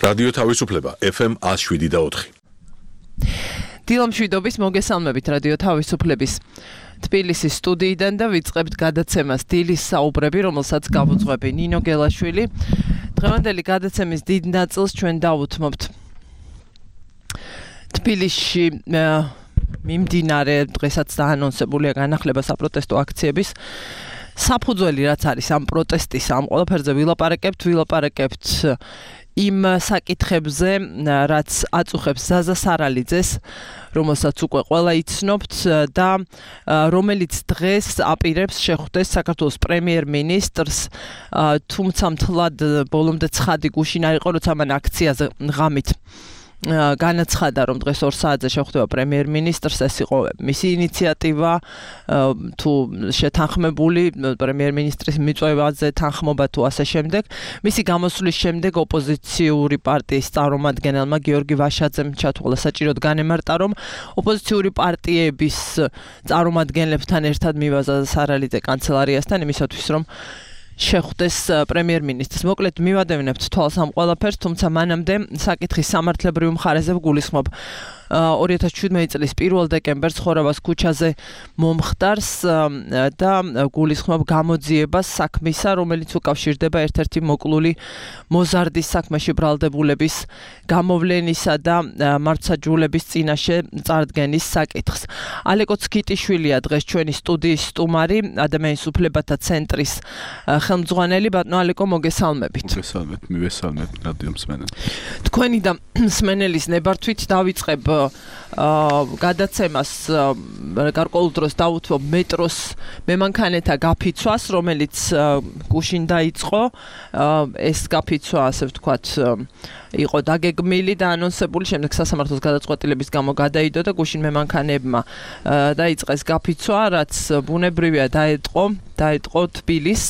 რადიო თავისუფლება FM 107.4. დილამშვიდობის მოგესალმებით რადიო თავისუფლების თბილისის სტუდიიდან და ვიწყებთ გადაცემას დილის საუბრები, რომელსაც გავუძღვები ნინო გელაშვილი. დღევანდელი გადაცემის დიდ ნაწილს ჩვენ დავუთმობთ თბილისში მიმდინარე დღესაც დაანონსებულია განახლება საპროტესტო აქციების საფუძველი რაც არის ამ პროტესტის ამ ყველაფერზე ვილაპარაკებთ იმ საკითხებზე, რაც აწუხებს ზაზა სარალიძეს, რომელსაც უკვე ყველა იცნობთ და რომელიც დღეს აპირებს შეხვდეს საქართველოს პრემიერ-მინისტრს, თუმცა მთლად ბოლომდე ცხადი გუშინ არ იყო, როცა მან აქციაზე ღამით განაცხადა, რომ დღეს 2 საათზე შეხვდება პრემიერ-მინისტრს, ეს იყო მისი ინიციატივა, თუ შეთანხმებული პრემიერ-მინისტრის მიწვევაზე თანხმობა თუ ასე შემდეგ. მისი გამოსვლის შემდეგ ოპოზიციური პარტიის წარმომადგენელმა გიორგი ვაშაძემ ჩათვალა საჭიროდ განემარტა, რომ ოპოზიციური პარტიების წარმომადგენლებთან ერთად მივაზა სარალიძე კანცელარიასთან იმისათვის, რომ შეხვდეს პრემიერ-მინისტრს. მოკლედ მივადევნებთ თვალს ამ ყველაფერს, თუმცა მანამდე საკითხის სამართლებრივ მხარეზე ვგულისხმობ 2017 წლის 1 დეკემბერს ხორავას ქუჩაზე მომხდარს და გულისხმობ გამოძიებას საქმისა, რომელიც უკავშირდება ერთ-ერთი მოკლული მოზარდის საქმეში ბრალდებულების გამოვლენისა და მართლმსაჯულების წინაშე წარდგენის საკითხს. ალეკო ცქიტიშვილია დღეს ჩვენი სტუდიის სტუმარი, ადამიანის უფლებათა ცენტრის ხელმძღვანელი. ბატონო ალეკო, მოგესალმებით. მოგესალმებით, მივესალმებით რადიო მსმენელს. თქვენი და მსმენელის ნებართვით დავიწყებ გადაცემას გარკვეულ დროს დავუთმობ მეტროს მემანქანეთა გაფიცვას, რომელიც გუშინ დაიწყო. ეს გაფიცვა, ასე ვთქვათ, იყო დაგეგმილი და ანონსებული, შემდეგ სასამართლოს გადაწყვეტილების გამო გადაიდო და გუშინ მემანქანეებმა დაიწყეს გაფიცვა, რაც ბუნებრივია დაეტყო თბილისს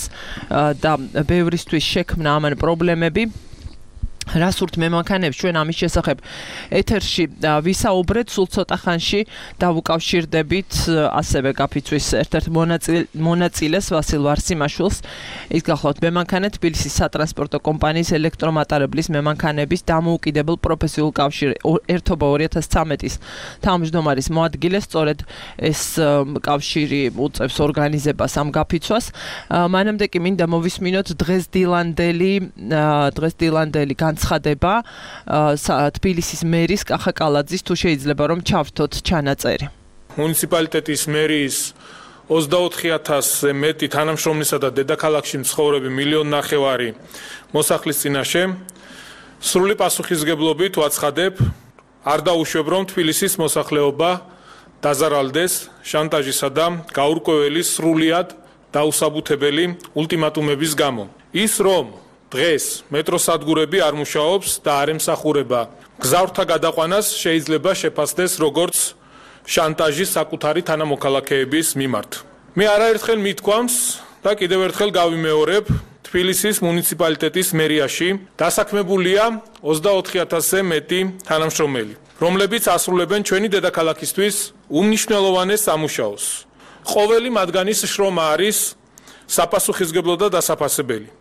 და ბევრისთვის შექმნა ამან პრობლემები. რას ურთ მემანქანეებს ჩვენ ამის შესახებ ეთერში ვისაუბრეთ, სულ ცოტა ხანში დავუკავშირდებით ასევე გაფიცვის ერთ-ერთ მონაწილეს ვასილ ვარსიმაშვილს. ის გახლავთ მემანქანე თბილისის სატრანსპორტო კომპანიის ელექტრომატარებლის მემანქანების დამოუკიდებელ პროფესიულ კავშირი ერთობა 2013-ის თავმჯდომარის მოადგილეს, სწორედ ეს კავშირი უწევს ორგანიზებას ამ გაფიცვას. მანამდე კი მინდა მოვისმინოთ დღესდილანდელი განცხადება თბილისის მერის კახა კალაძის, თუ შეიძლება რომ ჩავრთოთ ჩანაწერი. მუნიციპალიტეტის მერის 24,000-ზე მეტი თანამშრომლისა და დედაქალაქში მცხოვრები 1,5 მოსახლის წინაშე სრული პასუხისმგებლობით ვაცხადებ, არ დაუშვებ, რომ თბილისის მოსახლეობა დაზარალდეს შანტაჟისა და გაურკვეველი სრულიად დაუსაბუთებელი ულტიმატუმების გამო. ის რომ დღეს მეტროსადგურები არ მუშაობს და არ ემსახურება გზავრთა გადაყვანას შეიძლება შეფასდეს როგორც შანტაჟი საკუთარი თანამოქალაქეების მიმართ. მე არაერთხელ მithქვამს და კიდევ ერთხელ გავიმეორებ, თბილისის მუნიციპალიტეტის მერიაში დასაქმებულია 24,000-ზე მეტი თანამშრომელი, რომლებიც ასრულებენ ჩვენი დედაქალაქისთვის უმნიშვნელოვანეს სამუშაოს. ყოველი მათგანის შრომა არის საპასუხისმგებლო და დასაფასებელი.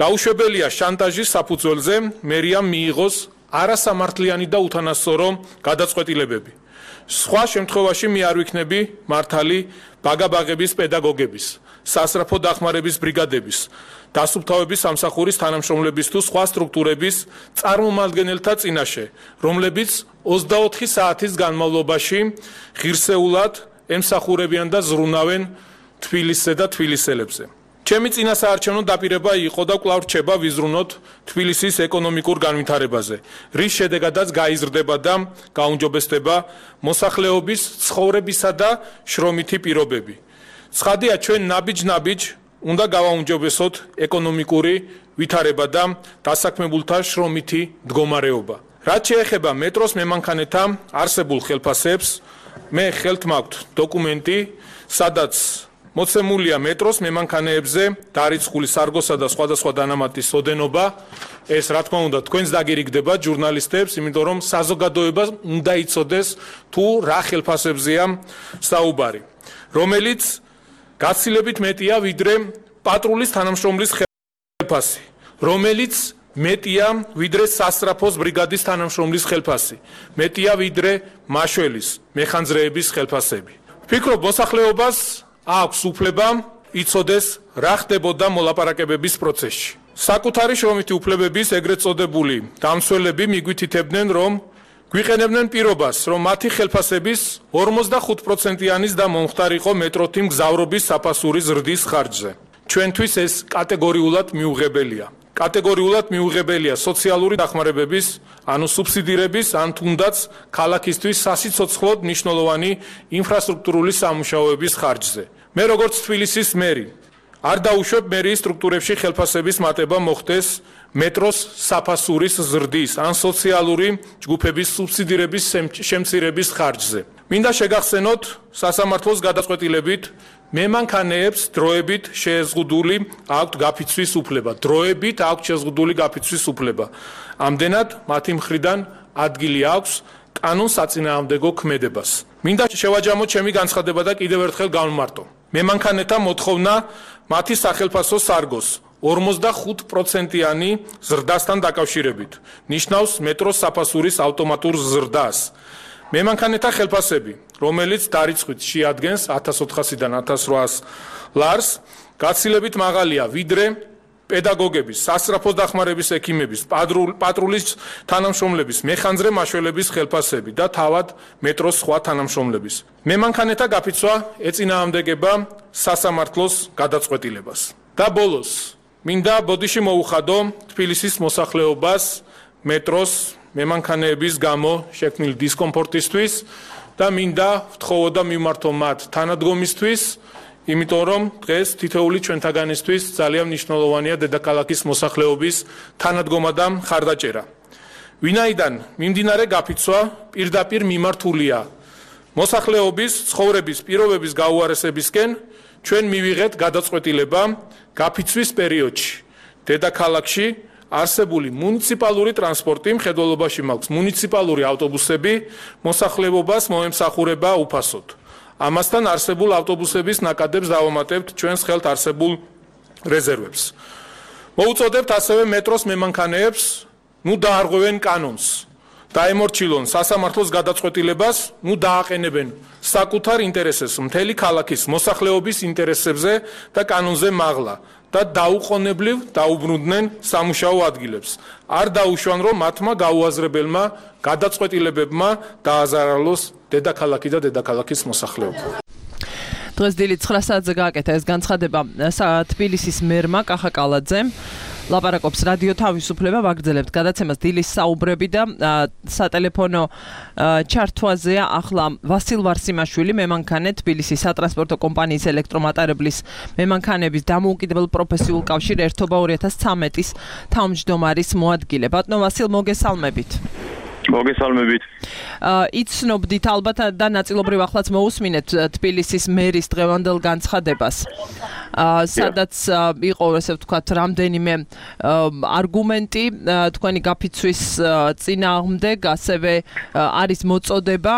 დაუშვებელია შანტაჟის საფუძველზე მერიამ მიიღოს არასამართლიანი და უთანასწორო გადაწყვეტილებები. სხვა შემთხვევაში მე არ ვიქნები მართალი ბაგაბაღების პედაგოგების, სასწრაფო დახმარების ბრიგადების, დასუფთავების სამსახურის თანამშრომლების თუ სხვა სტრუქტურების წარმომადგენელთა წინაშე, რომლებიც 24 საათის განმავლობაში ღირსეულად ემსახურებიან და ზრუნავენ თბილისზე და თბილისელებზე. ჩემი წინასაარჩევნო დაპირება იყო და კვლავ რჩება ვიზრუნოთ თბილისის ეკონომიკურ განვითარებაზე, რის შედეგადაც გაიზრდება და გაუმჯობესდება მოსახლეობის ცხოვრებისა და შრომითი პირობები. ცხადია, ჩვენ ნაბიჯ-ნაბიჯ უნდა გავაუმჯობესოთ ეკონომიკური ვითარება და დასაქმებულთა შრომითი მდგომარეობა. რაც შეეხება მეტროს მემანქანეთა არსებულ ხელფასებს, მე ხელთ მაქვთ დოკუმენტი, სადაც მოცემულია მეტროს მემანქანეებზე დარიცხული სარგოსა და სხვადასხვა დანამატის ოდენობა. ეს რა თქმა უნდა თქვენს დაგირიგდება ჟურნალისტებს, იმიტომ რომ საზოგადოებას უნდა იცოდეს თუ რა ხელფასებზეა საუბარი, რომელიც გაცილებით მეტია ვიდრე პატრულის თანამშრომლის ხელფასი, რომელიც მეტია ვიდრე სასწრაფოს ბრიგადის თანამშრომლის ხელფასი, მეტია ვიდრე მაშველის, მეხანძრეების ხელფასები. ვფიქრობ, მოსახლეობას აქვს უფლება იცოდეს რა ხდებოდა მოლაპარაკებების პროცესში. საკუთარი შრომითი უფლებების ეგრეთ წოდებული დამცველები მიგვითითებდნენ, რომ გვიყენებდნენ პირობას, რომ მათი ხელფასების 45%-იანის და მომხდარიყო მეტროთი მგზავრობის საფასური ზრდის ხარჯზე. ჩვენთვის ეს კატეგორიულად მიუღებელია. კატეგორიულად მიუღებელია სოციალური დახმარებების, ანუ სუბსიდირების, ან თუნდაც ქალაქისთვის სასიცოცხლოდ მნიშვნელოვანი ინფრასტრუქტურული სამუშაოების ხარჯზე. მე როგორც თბილისის მერი არ დაუშვებ მერიის სტრუქტურებში ხელფასების მატება მოხდეს მეტროს საფასურის ზრდის ან სოციალური ჯგუფების სუბსიდირების შემცირების ხარჯზე. მინდა შეგახსენოთ სასამართლოს გადაწყვეტილებით მემანქანეებს დროებით შეზღუდული აქვთ გაფიცვის უფლება. დროებით აქვთ შეზღუდული გაფიცვის უფლება. ამდენად მათი მხრიდან ადგილი აქვს კანონსაწინააღმდეგო ქმედებას. მინდა შევაჯამოთ ჩემი განცხადება და კიდევ ერთხელ გავმარტო. მემანქანეთა მოთხოვნა მათი სახელფასო სარგოს 45%-იანი ზრდასთან დაკავშირებით. ნიშნავს მეტროს საფასურის ავტომატურ ზრდას. მემანქანეთა ხელფასები, რომელიც დარიცხვით შეადგენს 1400-დან 1800 ლარს, გაცილებით მაღალია ვიდრე პედაგოგების, სასწრაფო დახმარების ექიმების, პატრულის თანამშრომლების, მეხანძრე მაშველების ხელფასები და თავად მეტროს სხვა თანამშრომლების. მემანქანეთა გაფიცვა ეწინააღმდეგება სასამართლოს გადაწყვეტილებას. და ბოლოს, მინდა ბოდიში მოუხადო თბილისის მოსახლეობას მეტროს მემანქანეების გამო შექმნილი დისკომფორტისთვის და მინდა ვთხოვოდა მიმართო მათ თანადგომისთვის, იმიტომ რომ დღეს თითოეული ჩვენთაგანისთვის ძალიან მნიშვნელოვანია დედაქალაქის მოსახლეობის თანადგომა და მხარდაჭერა. ვინაიდან მიმდინარე გაფიცვა პირდაპირ მიმართულია მოსახლეობის ცხოვრების პირობების გაუარესებისკენ, ჩვენ მივიღეთ გადაწყვეტილება გაფიცვის პერიოდში დედაქალაქში არსებული მუნიციპალური ტრანსპორტი მხედველობაში მაქვს მუნიციპალური ავტობუსები მოსახლეობას მოემსახურება უფასოდ. ამასთან არსებულ ავტობუსების ნაკადებს დავამატებთ ჩვენს ხელთ არსებულ რეზერვებს. მოუწოდებთ ასევე მეტროს მემანქანეებს, დაარღვევენ კანონს, დაემორჩილონ სასამართლოს გადაწყვეტილებას, დააყენებენ საკუთარ ინტერესებს მთელი ქალაქის მოსახლეობის ინტერესებზე და კანონზე მაღლა და დაუყოვნებლივ დაუბრუნდნენ სამუშაო ადგილებს. არ დაუშვან, რომ მათმა გაუაზრებელმა გადაწყვეტილებებმა დააზარალოს დედაქალაქი და დედაქალაქის მოსახლეობა. დღეს დილით 9 საათზე გააკეთა ეს განცხადება თბილისის მერმა კახა კალაძემ. ლაპარაკობს რადიო თავისუფლება, ვაგრძელებთ გადაცემას დილის საუბრები და სატელეფონო ჩართვაზეა ახლა ვასილ ვარსიმაშვილი, მემანქანე თბილისის სატრანსპორტო კომპანიის ელექტრომატარებლის მემანქანების დამოუკიდებელ პროფესიულ კავშირ ერთობა 2013-ის თავმჯდომარის მოადგილე. ბატონო ვასილ, მოგესალმებით. მოგესალმებით. იცნობდით ალბათ და ნაწილობრივ ახლაც მოусმინეთ თბილისის მერის დღევანდელ განცხადებას. სადაც იყო ესე ვთქვათ რამდენიმე არგუმენტი თქვენი გაფიცვის წინააღმდეგ, ასევე არის მოწოდება.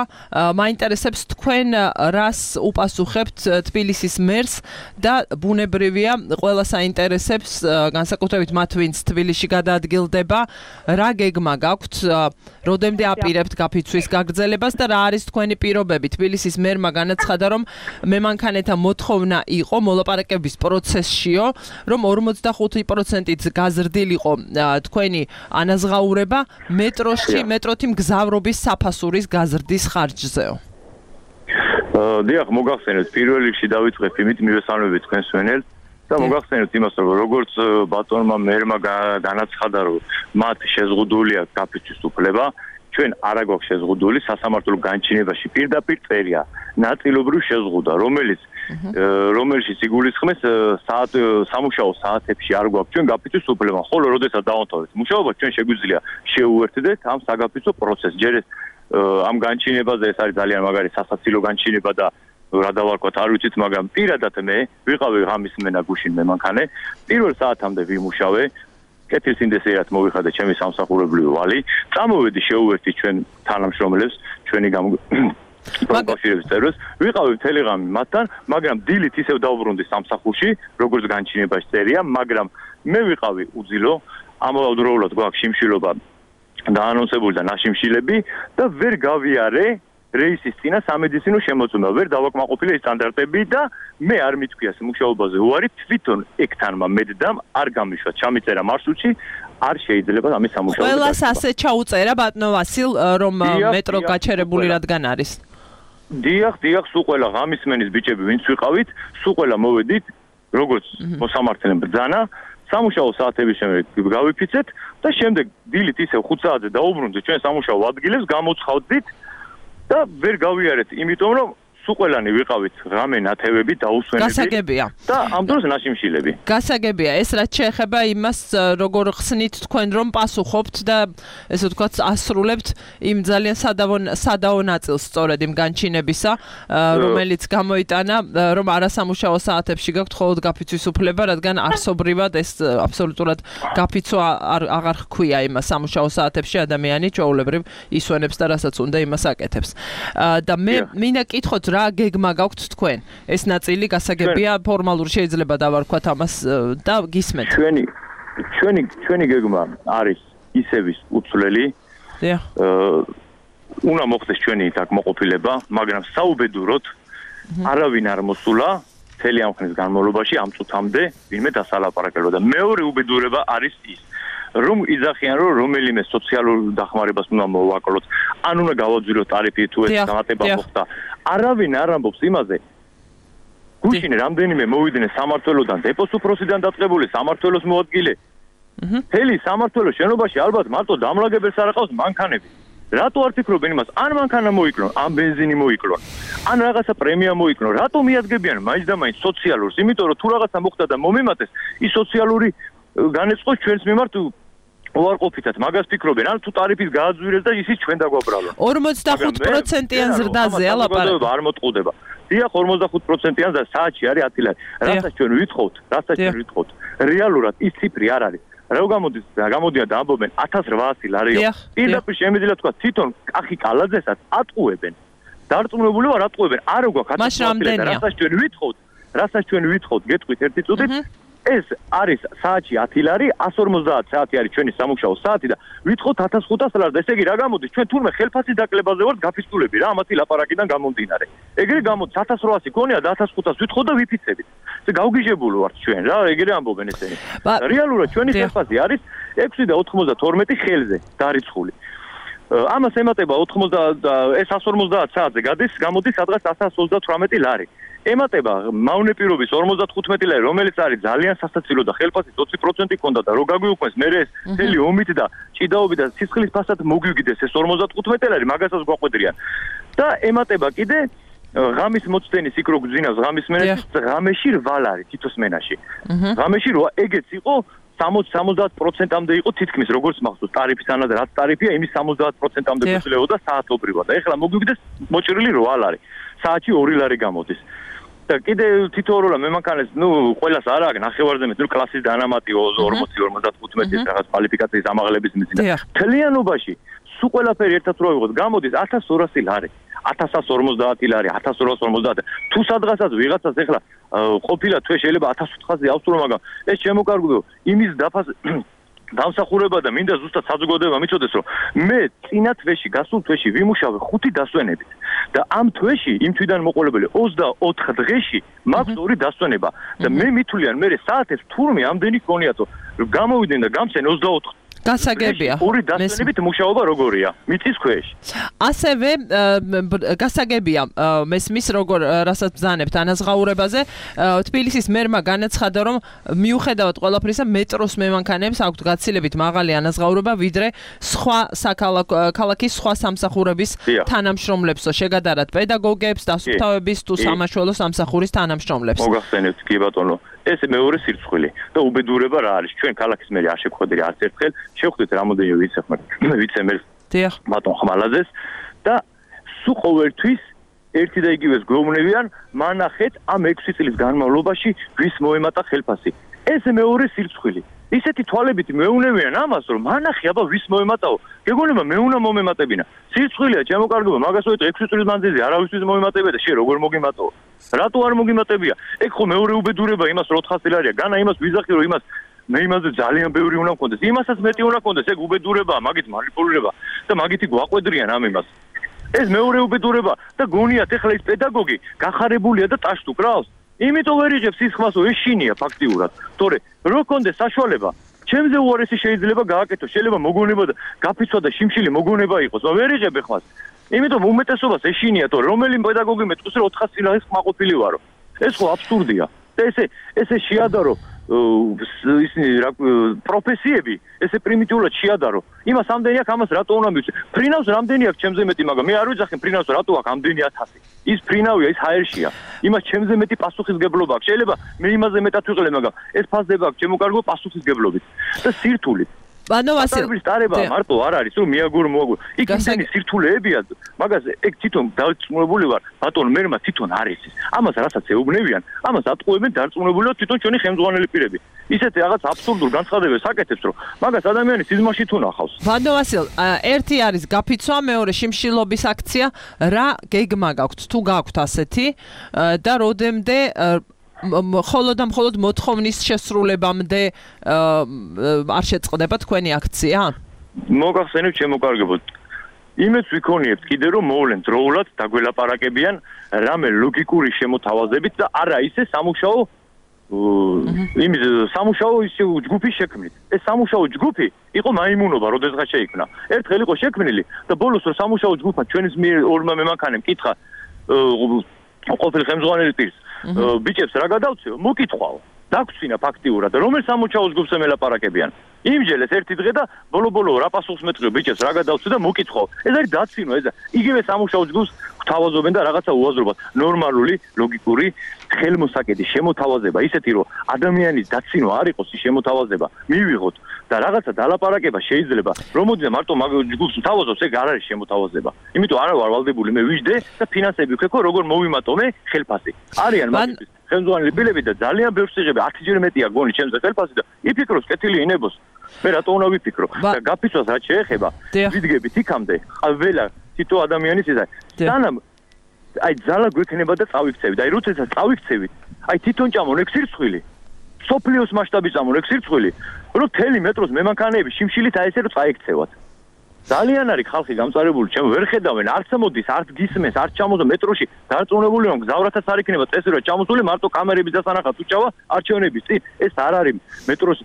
მაინტერესებს თქვენ რას უპასუხებთ თბილისის მერს და ბუნებრივია ყველა საინტერესებს განსაკუთრებით მათ ვინც თბილისში გადაადგილდება, რა გეგმა გაქვთ, როდემდე აპირებთ გაფიცვის გაგრძელებას და რა არის თქვენი პირობები? თბილისის მერმა განაცხადა, რომ მემანქანეთა მოთხოვნა იყო მოლაპარაკების პროცესშიო, რომ 45%-ით გაზრდილიყო თქვენი ანაზღაურება მეტროთი მგზავრობის საფასურის გაზრდის ხარჯზეო. დიახ, მოგახსენებთ, პირველ რიგში დავიწყებ იმით მივესალმებით თქვენს ვენელს და მოგახსენებთ იმას, რომ როგორც ბატონმა მერმა განაცხადა, რომ მათ შეზღუდული აქვს გაფიცვის უფლება, ჩვენ არ აქვს შეზღუდული, სასამართლო განჩინებაში პირდაპირ წერია ნაწილობრივ შეზღუდა, რომელშიც იგულისხმეს სამუშაო საათებში არ გვაქვს ჩვენ გაფიცვის უფლება, ხოლო როდესაც დავამთავრეთ მუშაობა, ჩვენ შეგვიძლია შევუერთდეთ ამ საგაფიცვო პროცესს. ჯერ ამ განჩინებაზე ეს არის ძალიან მაგარი სასაცილო განჩინება და რა დავარქვათ, არ ვიცით, მაგრამ პირადად მე ვიყავი ღამის მენა გუშინ მემანქანე, პირველ საათამდე ვიმუშავე, კეთილსინდესიერად მოვიხადე ჩემი სამსახურებრივი ვალი, წამოვედი შევუერთდი ჩვენ თანამშრომლებს, ჩვენი კავშირების წევრებს, ვიყავი მთელი ღამე მათთან, მაგრამ დილით ისევ დავბრუნდი სამსახურში, როგორც განჩინებაში წერია, მაგრამ მე ვიყავი უძილო, ამავდროულად გვაქვს შიმშილობა დაანონსებული და ნაშიმშილები და ვერ გავიარე რეისის წინა სამედიცინო შემოწმება, ვერ დავაკმაყოფილე ეს სტანდარტები და მე არ მithქვია მუშაობაზე უარი, თვითონ ექთანმა მედდამ არ გამიშვა, ჩამიწერა მარშრუტში, არ შეიძლება ამის სამუშაო. ყველას ასე ჩაუწერა ბატონო ვასილ, რომ მეტრო გაჩერებული რადგან არის. დიახ, სულ ყველა ღამისმენის ბიჭები ვინც ვიყავით, სულ ყველა მოვედით, როგორც მოსამართლე ბრძანა, სამუშაო საათების შემდეგ გავიფიცეთ და შემდეგ დილით ისევ 5 საათზე დაუბრუნდით ჩვენ სამუშაო ადგილებს, გამოცხავდით და ვერ გავიარეთ, იმიტომ რომ სულ ყველანი ვიყავით ღამე ნათევები დაუსვენები. გასაგებია. და ამ დროს ნაშიმშილები. გასაგებია, ეს რაც შეეხება იმას, როგორ ხსნით თქვენ რომ პასუხობთ და ესე ვთქვათ, ასრულებთ იმ ძალიან სადაო ნაწილს სწორედ იმ განჩინებისა, რომელიც გამოიტანა, რომ არასამუშაო საათებში გაქვთ მხოლოდ გაფიცვის უფლება, რადგან არსობრივად ეს აბსოლუტურად გაფიცვა აღარ ჰქვია იმას სამუშაო საათებში ადამიანი ჩვეულებრივ ისვენებს და რასაც უნდა იმას აკეთებს. და მე მინდა კითხოთ რა გეგმა გაქვთ თქვენ? ეს ნაწილი გასაგებია, ფორმალურ შეიძლება დავარქვათ ამას და გისმენთ. ჩვენი გეგმა არის ისევის უცვლელი. დიახ. უნდა მოხდეს ჩვენი დაკმაყოფილება, მაგრამ საუბედუროდ არავინ არ მოსულა მთელი ამ ხნის განმავლობაში ამ წუთამდე ვინმე დასალაპარაკებდა და მეორე უბედურება არის ის რომ იძახიან რომ რომელიმე სოციალურ დახმარებას უნდა მოვაკლოთ, ან უნდა გავაძვიროთ ტარიფი თუ ეს დამატება მოხდა. არავინ არ ამბობს იმაზე. გუშინ რამდენიმე მოვიდნენ სამმართველოდან, დეპოს უფროსიდან დაწყებული სამმართველოს მოადგილე. მთელი სამმართველოს შენობაში ალბათ მარტო დამლაგებელს არ აყავს მანქანები. რატო არ ფიქრობენ იმას? ან მანქანა მოიკლონ, ან ბენზინი მოიკლონ, ან რაღაცა პრემია მოიკლონ. რატო მიადგებიან მაინც და მაინც სოციალურს? იმიტომ რომ თუ რაღაცა მოხდა და მომემატეს, ის სოციალური განეწყოს ჩვენს მიმართ უარყოფითად მაგას ფიქრობენ, ან თუ ტარიფის გააძვირეს და ისიც ჩვენ დაგვაბრალონ. 45%-იან ზრდაზე ალაპარაკი არ მოტყუდება. დიახ, 45%-იან და საათში არის 10 ლარი. რასაც ჩვენ ვითხოვთ, რეალურად ის ციფრი არ არის. რა გამოდიან და ამბობენ 1800 ლარია. პირდაპირ შემიძლია თქვა თვითონ კახი კალაძესაც ატყუებენ. დარწმუნებული ვარ ატყუებენ. არ გვაქვს 1800 ლარი, რასაც ჩვენ ვითხოვთ, გეტყვით ერთი წუთით. ეს არის საათში 10 ლარი, 150 საათი არის ჩვენი სამუშაო საათი და ვითხოვთ 1500 ლარს. ესე იგი რა გამოდის? ჩვენ თურმე ხელფასის დაკლებაზე ვართ გაფიცულები რა, ამათი ლაპარაკიდან გამომდინარე. ეგრე გამოდის 1800 გონია და 1500 ვითხოვთ და ვიფიცებით. ესე გავგიჟებული ვართ ჩვენ რა, ეგრე ამბობენ ესენი. რეალურად ჩვენი ხელფასი არის 6 და 92 ხელზე დარიცხული. ამას ემატება 80 ეს 150 საათზე გამოდის სადღაც 128 ლარი. ემატება მავნე პირობის 55 ლარი, რომელიც არის ძალიან სასაცილო და ხელფასის 20% ქონდა და რო გაგვიუქმეს მე ეს მთელი ომით და ჭიდაობით და სისხლის ფასად მოგვიგდეს ეს 55 ლარი, მაგასაც გვაყვედრიან. და ემატება კიდე ღამის მოცდენის იქ რო გძინავს ღამის მენაში, ღამეში 8 ლარი თითოს მენაში. ღამეში ეგეც იყო 60-70%-ამდე იყო თითქმის როგორც მახსოვს ტარიფის ანაზე რაც ტარიფია იმის 70%-ამდე გვეძლეოდა საათობრივად და ეხლა მოგვიგდეს მოჭრილი 8 ლარი საათში 2 ლარი გამოდის და კიდე თითოეულა მემანქანეს ყველას არ აქვს ნახევარზე მეტი კლასის დანამატი 40-55 რაღაც კვალიფიკაციის ამაღლების მიზნით თლიანობაში სულ ყველაფერი ერთად რო ვიღოთ გამოდის 1200 ლარი 1150 ლარი 1250 თუ სადღაცაც ვიღაცას ეხლა ყოფილა თვე შეიძლება 1400-ზე ავსურო მაგრამ ეს შემოკარგულო იმის დამსახურება და მინდა ზუსტად საზოგადოება მიცოდეს რომ მე წინა თვეში გასულ თვეში ვიმუშავე 5 დასვენებით და ამ თვეში იმ თვიდან მოყოლებული 24 დღეში მაქვს 2 დასვენება და მე მithulიან მე საათებს თურმე ამდენი გქონიათო გამოვიდნენ და გამცენ 24 გასაგებია. ორი დასვენებით მუშაობა როგორია? მიწის ქვეშ. ასევე გასაგებია მესმის როგორ რასაც ბრძანებთ ანაზღაურებაზე. თბილისის მერმა განაცხადა რომ მიუხედავად ყველაფრისა მეტროს მემანქანეებს აქვთ გაცილებით მაღალი ანაზღაურება ვიდრე სხვა ქალაქის სხვა სამსახურების თანამშრომლებსო შეგადარათ პედაგოგებს, დასუფთავების თუ სამაშველო სამსახურის თანამშრომლებს. მოგახსენებთ კი ბატონო. ეს მეორე სირცხვილი და უბედურება რა არის? ჩვენ ქალაქის მერი არ შეგხვედრია არც ერთხელ შევხვდით რამოდენიმე ვიცემერს ბატონ ხმალაძეს და სულ ყოველთვის ერთი და იგივეს გვეუბნებიან მანახეთ ამ 6 წლის განმავლობაში ვის მოემატა ხელფასი. ეს მეორე სირცხვილი. ისეთი თვალებით მეუნებიან ამას რომ მანახე აბა ვის მოემატაო. გეგონება მე უნდა მომემატებინა. სირცხვილია ჩემო კარგო მაგას ვეთქვი 6 წლის მანძილზე არავისთვის მოემატებია და შე როგორ მოგემატაო. რატო არ მოგიმატებია? ეგ ხო მეორე უბედურება იმას 400 ლარია. განა იმას ვიზახი რომ იმას მე იმაზე ძალიან ბევრი უნდა მქონდეს. იმასაც მეტი უნდა მქონდეს, ეგ უბედურებაა, მაგით манипуლირება და მაგით გვაყვედრიან ამ იმას. ეს მეორე უბედურება და გონიათ ეხლა ის პედაგოგი გახარებულია და ტაშს უკრავს. იმიტომ ვერ იღებს ის ხმას, რომ ეშინია ფაქტიურად. თორე რო კონდეს საშუალება, ჩემზე უარესი შეიძლება გააკეთო, შეიძლება მოგონება და გაფიცვა და შიმშილი მოგონება იყოს, მაგრამ ვერ იღებ ხმას. იმიტომ უმეტესობას ეშინია, თორე რომელი პედაგოგი მეტყვის რომ 400 წინააღმდეგ ხმაყოფილი ვარო. ეს ხო აბსურდია. და ესე შეადარო ისინი პროფესიები, ესე პრიმიტიულად შეადარო. იმას ამდენი აქვს, ამას რატო უნდა მივცე? ფრინავს რამდენი აქვს ჩემზე მეტი, მაგრამ მე არ ვიცახი ფრინავს რატო აქვს ამდენი 1000. ის ფრინავია, ის ჰაერშია. იმას ჩემზე მეტი პასუხისგებლობა აქვს. შეიძლება მე იმაზე მეტად ვიყლე, მაგრამ ეს ფასდება აქვს ჩემო კარგო პასუხისგებლობით და სირთულით. ბანო ვასილ სტარება მარტო არ არის რომ მიაგურ მოაგურ იქ ისინი სირთულეებია მაგაზე ეგ თვითონ დარწმუნებული ვარ ბატონ მერმა თვითონ არის ის ამას რასაც ეუბნებიან ამას ატყუებენ დარწმუნებულიო თვითონ ჩვენი ხელმძღვანელი პირები ისეთი რაღაც აბსურდულ განცხადებებს აკეთებს რომ მაგას ადამიანი სიზმარში თუ ნახავს ბანო ვასილ ერთი არის გაფიცვა მეორე შიმშილობის აქცია რა გეგმა გაქვთ თუ გაქვთ ასეთი და როდემდე მხოლოდ მოთხოვნის შესრულებამდე არ შეწყდება თქვენი აქცია? მოგახსენებთ შემოკარგებოდ. იმეც ვიქონიებთ კიდე რომ მოვლენ დროულად დაგველაპარაკებიან რამე ლოგიკური შემოთავაზებით და არა ისე სამუშაო სამუშაო ისე ჯგუფის შექმნით. ეს სამუშაო ჯგუფი იყო მაიმუნობა, როდესღაც შეიქმნა. ერთხელ იყო შექმნილი და ბოლოს რომ სამუშაო ჯგუფმა ჩვენის მიერ ორმა მემანქანემ კითხა ყოფილი ხელმძღვანელი პირს ბიჭებს რა გადავწიო? მოკითხვაო. დაგწინა ფაქტიურად, რომელ სამუშაო ჯგუფს ელაპარაკებიან. იმჯერეს ერთი დღე და ბოლო-ბოლო რა პასუხს მეტყვი ბიჭებს რა გადავწიო და მოკითხვაო. ეს არის დაცინვა, ეს იგივე სამუშაო ჯგუფს გვთავაზობენ და რაღაცა უაზრობად. ნორმალური, ლოგიკური ხელმოსაკედი შემოთავაზება, ისეთი რომ ადამიანის დაცინვა არ იყოს ის შემოთავაზება, მივიღოთ და რაღაცა დალაპარაკება შეიძლება. რომ მოდიდა მარტო მაგ ჯგუფს თავაზობს, ეგ არ არის შემოთავაზება. იმიტომ არა ვარ ვალდებული მე ვიждე და ფინანსები ვქეკო, როგორ მოვიმატომე ხელფასი. არიან მაგის ხელმძღვანელი პირები და ძალიან ბევრს იღები 10-ჯერ მეტია გონი ჩემზე ხელფასი და იფიქროს კეთილი ინებოს. მე რატო უნდა ვიფიქრო? და გაფიცვას რაც შეეხება, ვიდგებით იქამდე, ყველა თითო ადამიანის ისა. სანამ აი ძალა გვექნება და წავიქცევით. აი როდესაც წავიქცევით, აი თვითონ ჭამონ ეგ სირცხვილი. სოფლიოს მასშტაბის ჭამონ ეგ სირცხვილი, რომ თელი მეტროს მემანქანეები შიმშილით აი ესე რომ წაიქცევათ. ძალიან არის ხალხი გამწარებული, ჩემ ვერ ხედავენ, არც მოდის, არც გისმენს, არც ჩამოძო მეტროში, დარწმუნებული რომ გზავრათაც არ იქნება წესი რომ ჩამოსული მარტო კამერების დასანახად უჭავა არჩევნების წინ, ეს არ არის მეტროს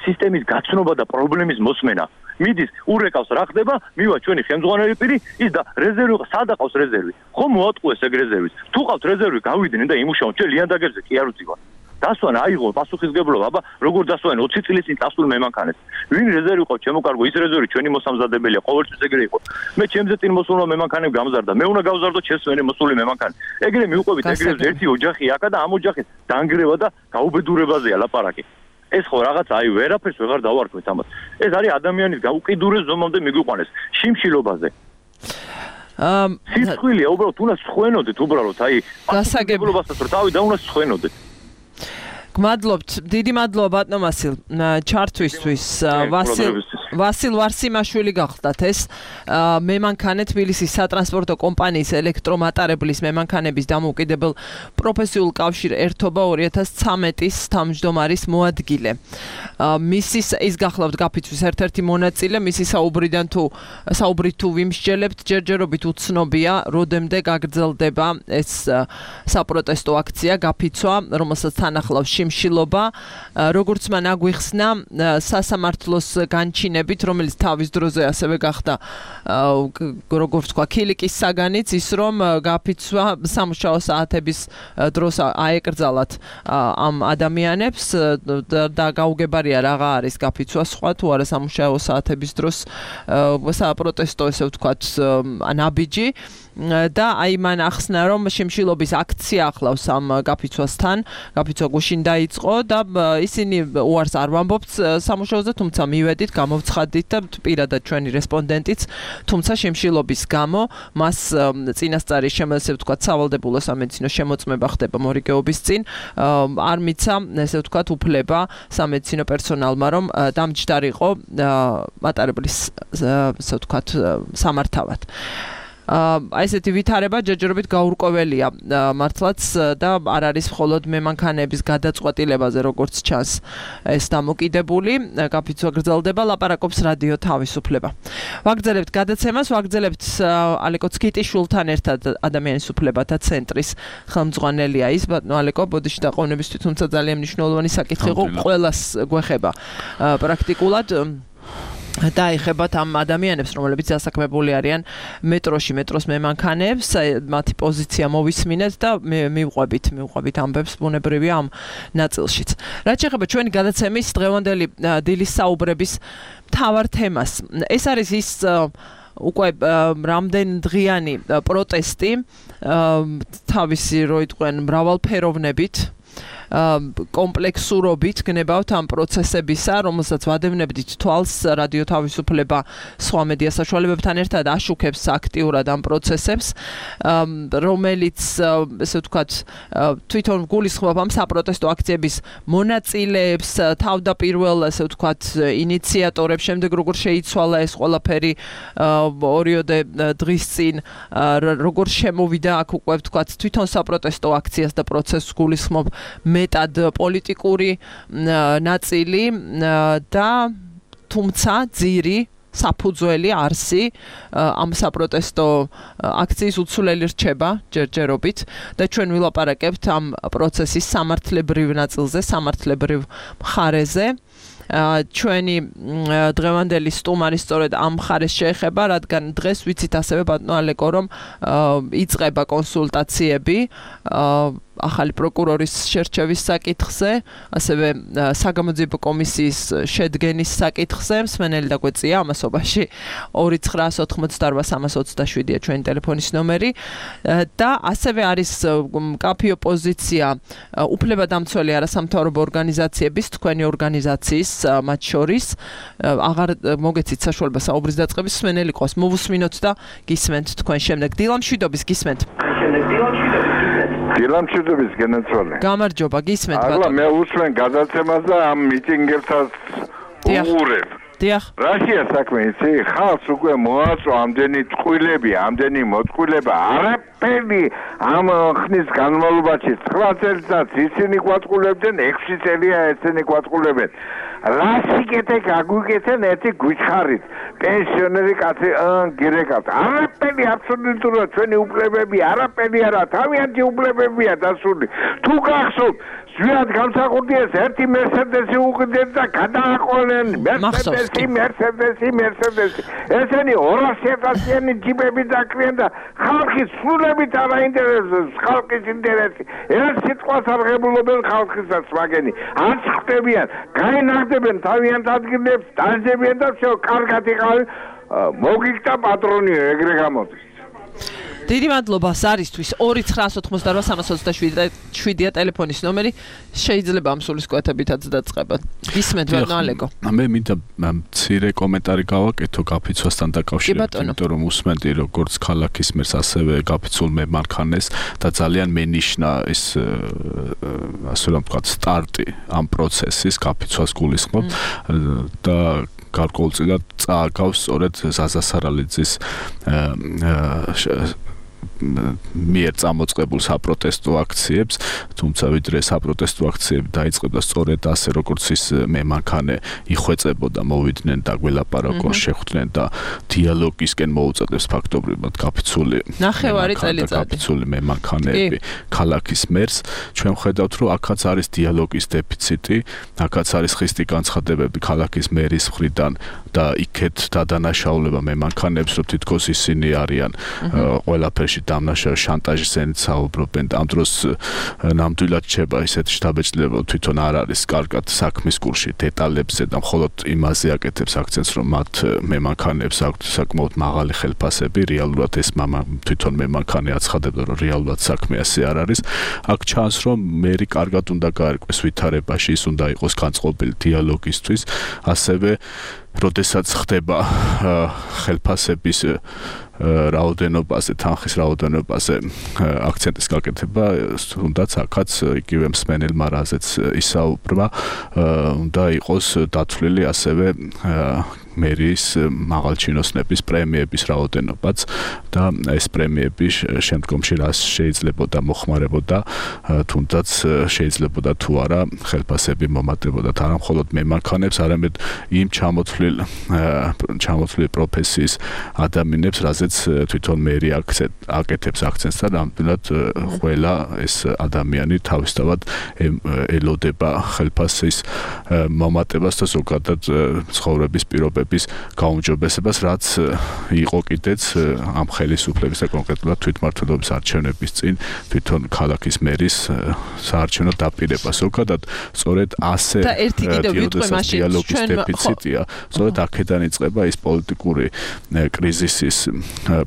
სისტემის გაცნობა და პრობლემის მოსმენა. მიდის, ურეკავს რა ხდება, მივა ჩვენი ხელმძღვანელი პირი, ის და რეზერვი, სად აყავს რეზერვი? ხომ მოატყუეს ეგ რეზერვის? თუ ყავთ რეზერვი, გავიდნენ და იმუშაონ, ჩვენ ლიანდაგერზე კი არ უძივარ. დასვანა აიღო პასუხისგებლობა, აბა როგორ დასვანენ 20 წლის წინ წასულ მემანქანეს. ვინ რეზერვი ყავს ჩემო კარგო, ის რეზერვი ჩვენი მოსამზადებელია, ყოველთვის ეგრე იყო. მე ჩემზე წინ მოსულმა მემანქანემ გამზარდა, მე უნდა გავზარდო ჩემსვენი მოსული მემანქანი. ეგრე მივყვებით, ეგრე ერთი ოჯახი აქა და ამ ოჯახის დანგრევა და გაუბედურებაზეა ლაპარაკი. ეს ხო რაღაც აი ვერაფერს ვეღარ დავარქვით ამას. ეს არის ადამიანის გაუკიდურეს ზომამდე მიგვიყვანეს შიმშილობაზე. სიცხვილია უბრალოდ უნდა სხვენოდეთ უბრალოდ აი გასაგებობასაც რომ თავი და უნდა სხვენოდეთ. გმადლობთ, დიდი მადლობა ბატონ ვასილ ჩართვისთვის. ვასილ ვარსიმაშვილი გახლდათ ეს მემანქანე თბილისის სატრანსპორტო კომპანიის ელექტრომატარებლის მემანქანების დამოუკიდებელ პროფესიულ კავშირ ერთობა 2013-ის თავმჯდომარის მოადგილე. მისის ის გახლავთ გაფიცვის ერთ-ერთი მონაწილე, მისი საუბრით თუ ვიმსჯელებთ, ჯერჯერობით უცნობია, როდემდე გაგრძელდება ეს საპროტესტო აქცია, გაფიცვა, რომელსაც თან ახლავს შიმშილობა, როგორც მან აგვიხსნა სასამართლოს განჩინებით, რომელიც თავის დროზე ასევე გახდა როგორც თქვა ქილიკის საგანიც, ის რომ გაფიცვა სამუშაო საათების დროს აეკრძალათ ამ ადამიანებს და გაუგებარია რაღა არის გაფიცვა სხვა თუ არა სამუშაო საათების დროს საპროტესტო ესე ვთქვათ ნაბიჯი და აი მან ახსნა რომ შიმშილობის აქცია ახლავს ამ გაფიცვასთან, გაფიცვა გუშინ დაიწყო და ისინი უარს არ ვამბობთ სამუშაოზე, თუმცა მივედით, გამოვცხადით და პირადად ჩვენი რესპონდენტიც, თუმცა შიმშილობის გამო მას წინასწარი ესე ვთქვათ სავალდებულო სამედიცინო შემოწმება ხდება მორიგეობის წინ, არ მიცა ესე ვთქვათ უფლება სამედიცინო პერსონალმა რომ დამჯდარიყო მატარებლის ესე ვთქვათ სამართავად. აი ესეთი ვითარება ჯერჯერობით გაურკვეველია მართლაც და არ არის მხოლოდ მემანქანეების გადაწყვეტილებაზე როგორც ჩანს ეს დამოკიდებული კაფეცვა გრძელდება ლაპარაკობს რადიო თავისუფლება ვაგრძელებთ გადაცემას ვაგრძელებთ ალეკო ცკიტიშვილთან ერთად ადამიანის უფლებათა ცენტრის ხელმძღვანელია ის ბატონო ალეკო ბოდიში დაყოვნებისთვის თუმცა ძალიან მნიშვნელოვანი საკითხი იყო ყველას გვეხება პრაქტიკულად დაიხებათ ამ ადამიანებს, რომლებიც დასაქმებული არიან მეტროს მემანქანეებს, მათი პოზიცია მოვისმინეთ და მივყვებით ამბებს ბუნებრივია ამ ნაწილშიც. რაც შეეხება ჩვენი გადაცემის დღევანდელი დილის საუბრების მთავარ თემას. ეს არის ის უკვე რამდენ დღიანი პროტესტი თავისი რო იტყვენ მრავალფეროვნებით კომპლექსურობით გნებავთ ამ პროცესებისა, რომელსაც ვადევნებდით თვალს რადიო თავისუფლება სხვა მედია საშუალებებთან ერთად აშუქებს აქტიურად ამ პროცესებს, რომელიც ესე ვთქვათ თვითონ გულისხმობ ამ საპროტესტო აქციების მონაწილეებს, თავდაპირველ ესე ვთქვათ ინიციატორებს, შემდეგ როგორ შეიცვალა ეს ყველაფერი ორიოდე დღის წინ, როგორ შემოვიდა აქ უკვე ვთქვათ თვითონ საპროტესტო აქციას და პროცესს გულისხმობ მეტად პოლიტიკური ნაწილი და თუმცა ძირი საფუძველი არსი ამ საპროტესტო აქციის უცვლელი რჩება ჯერჯერობით და ჩვენ ვილაპარაკებთ ამ პროცესის სამართლებრივ ნაწილზე, სამართლებრივ მხარეზე ჩვენი დღევანდელი სტუმარი სწორედ ამ მხარეს შეეხება, რადგან დღეს ვიცით ასევე ბატონო ალეკო რომ იწყება კონსულტაციები ახალი პროკურორის შერჩევის საკითხზე, ასევე საგამოძიებო კომისიის შედგენის საკითხზე, მსმენელი დაგვეწია ამასობაში 29988-327-ია ჩვენი ტელეფონის ნომერი და ასევე არის კაფე ოპოზიცია უფლებადამცველი არასამთავრობო ორგანიზაციების, თქვენი ორგანიზაციის მათ შორის აღარ მოგეცით საშუალება საუბრის დაწყების მსმენელი ყავს. მოვუსმინოთ და გისმენთ თქვენ შემდეგ. დილამშვიდობის გისმენთ. დილამშვიდობის გენაცვალე. გამარჯობა, გისმენთ ბატონო. ახლა მე უსმენ გადაცემას და ამ მიტინგებსაც უყურებ. დიახ. რაშია საქმე, იცი? ხალხს უკვე მოაწვა ამდენი ტყუილები, ამდენი მოტყუილება, არაფერი ამ ხნის განმავლობაში 9 წელიწადს ისინი გვატყულებდნენ, 6 წელია ესენი გვატყულებენ. რასიკეთე გაგვიკეთენ ერთი გვითხარით. პენსიონერი კაცი გირეკავთ. არაფერი აბსოლუტურად ჩვენი უფლებები, არაფერი არა, თავიანთი უფლებებია დასული. თუ გახსოვთ ზვიად გამსახურდიეს ერთი მერსედესი უყიდეთ და გადააყოლნენ მერსედესი ესენი 200,000-იანი ჯიპები დაკრიან და ხალხის სულებით არ აინტერესებს ხალხის ინტერესი ერთ სიტყვას არ ღებულობენ ხალხისაც მაგენი არც ხდებიან გაინაღდებენ თავიანთ ადგილებს დაძებიან და всё კარგად იყავი მოგიქთა პატრონიო ეგრე გამოდის დიდი მადლობა სარისთვის 29988-327-ია ტელეფონის ნომერი შეიძლება ამ სულისკვეთებითაც დაწყებათ. გისმენთ ბატონო ალეკო. მე მინდა მცირე კომენტარი გავაკეთო კაფეცვასთან დაკავშირებით, იმიტომ რომ უსმენდი როგორც ქალაქის მერს ასევე კაფეცულ მემანქანეს და ძალიან მენიშნა ეს ასე რომ ვთქვათ სტარტი ამ პროცესის კაფეცვას გულისხმობ და გარკვეულწილად წააგავს სწორედ ზაზა სარალიძის მიერ წამოწყებულ საპროტესტო აქციებს, თუმცა ვიდრე საპროტესტო აქციები დაიწყებდა სწორედ ასე როგორც ის მემანქანე იხვეწებოდა, მოვიდნენ და გველაპარაკონ, შეხვდნენ და დიალოგისკენ მოუწოდებს ფაქტობრივად კაფეცული მემანქანეები ქალაქის მერს. ჩვენ ვხედავთ, რომ აქაც არის დიალოგის დეფიციტი, აქაც არის ხისტი განცხადებები ქალაქის მერის მხრიდან და იქეთ დადანაშაულება მემანქანეებს, რომ თითქოს ისინი არიან ყველაფერში დამნაშავე შანტაჟის ენით საუბრობენ და ამ დროს ნამდვილად რჩება ისეთი შთაბეჭდილება თვითონ არ არის კარგად საქმის კურსში დეტალებზე და მხოლოდ იმაზე აკეთებს აქცენტს რომ მათ მემანქანეებს აქვთ საკმაოდ მაღალი ხელფასები რეალურად ეს თვითონ მემანქანე აცხადებდა რომ რეალურად საქმე ასე არ არის აქ ჩანს რომ მერი კარგად უნდა გაერკვეს ვითარებაში ის უნდა იყოს განწყობილი დიალოგისთვის ასევე როდესაც ხდება ხელფასების რაოდენობაზე, თანხის რაოდენობაზე აქცენტის გაკეთება, თუნდაც აქაც იგივე მსმენელმა რაზეც ისაუბრა, უნდა იყოს დათვლილი ასევე მერის მაღალჩინოსნების პრემიების რაოდენობაც და ეს პრემიები შემდგომში რას შეიძლებოდა მოხმარებოდა თუნდაც შეიძლებოდა თუ არა ხელფასები მომატებოდა არა მხოლოდ მემანქანებს არამედ იმ ჩამოთვლილ პროფესიის ადამიანებს რაზეც თვითონ მერი აკეთებს აქცენტს და ნამდვილად ყველა ეს ადამიანი თავისთავად ელოდება ხელფასის მომატებას და ზოგადად ცხოვრების პირობების გაუმჯობესებას, რაც იყო კიდეც ამ ხელისუფლების და კონკრეტულად თვითმმართველობის არჩევნების წინ თვითონ ქალაქის მერის საარჩევნო დაპირება. ზოგადად სწორედ ასე და ერთი კიდევ ვიტყვი მაშინ დიალოგის დეფიციტია. სწორედ აქედან იწყება ის პოლიტიკური კრიზისის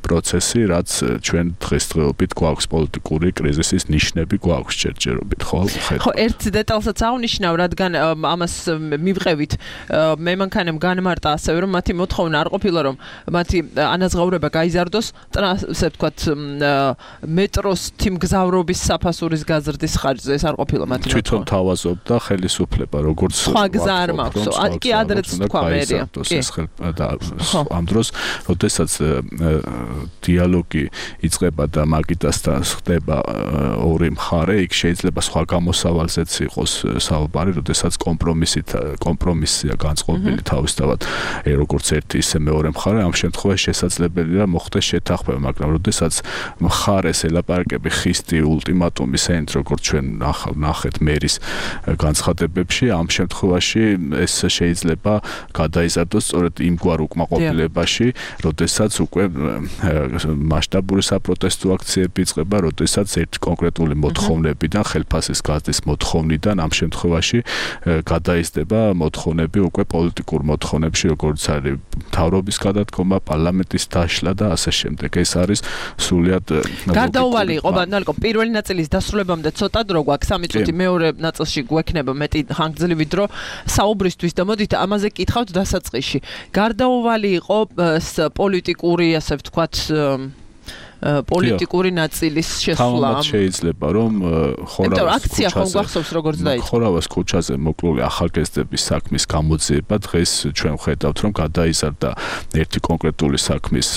პროცესი, რაც ჩვენ დღესდღეობით გვაქვს პოლიტიკური კრიზისის ნიშნები გვაქვს ჯერჯერობით, ხო? ხო, ერთ დეტალსაც აღნიშნავ, რადგან ამას მივყევით, მემანქანემ განმარტა ასევე, რომ მათი მოთხოვნა არ ყოფილა, რომ მათი ანაზღაურება გაიზარდოს, ასე ვთქვათ, მეტროს თიმგზავრობის საფასურის გაზრდის ხარჯზე, ეს არ ყოფილა მათი მოთხოვნა. თვითონ თავაზობდა ხელისუფლება, როგორც სხვა გზა არ მაქვს, კი ადრეც თქვა მერია. ამ დროს, როდესაც დიალოგი იწყება და მაგიდასთან ხდება ორი მხარე, იქ შეიძლება სხვა გამოსავალზეც იყოს საუბარი, როდესაც კომპრომისია განწყობილი თავისთავად როგორც ერთი ისე მეორე მხარე, ამ შემთხვევაში შესაძლებელია მოხდეს შეთანხმება, მაგრამ როდესაც მხარეს ელაპარაკები ხისტი ულტიმატუმის ენით, როგორც ჩვენ ნახეთ მერის განცხადებებში, ამ შემთხვევაში ეს შეიძლება გადაიზარდოს სწორედ იმგვარ უკმაყოფილებაში, როდესაც უკვე მასშტაბური საპროტესტო აქციები იწყება, როდესაც ერთი კონკრეტული მოთხოვნებიდან, ხელფასის გაზრდის მოთხოვნიდან ამ შემთხვევაში გადაიზრდება მოთხოვნები უკვე პოლიტიკურ მოთხოვნებში, როგორც არის მთავრობის გადადგომა, პარლამენტის დაშლა და ასე შემდეგ. ეს არის სრულიად გარდაუვალი იყო, ბანალკო, პირველი ნაწილის დასრულებამდე ცოტა დრო გვაქვს, 3 წუთი, მეორე ნაწილში გვექნება მეტი ხანგრძლივი დრო საუბრისთვის და მოდით ამაზე კითხავთ დასაწყისში. გარდაუვალი იყო პოლიტიკური, ასე ვთქვათ, პოლიტიკური ნაწილის შესვლა. თავად შეიძლება რომ ხორავას ქუჩაზე მოკლული ახალგაზრდების საქმის გამოძიება დღეს ჩვენ ვხედავთ რომ გადაიზარდა ერთი კონკრეტული საქმის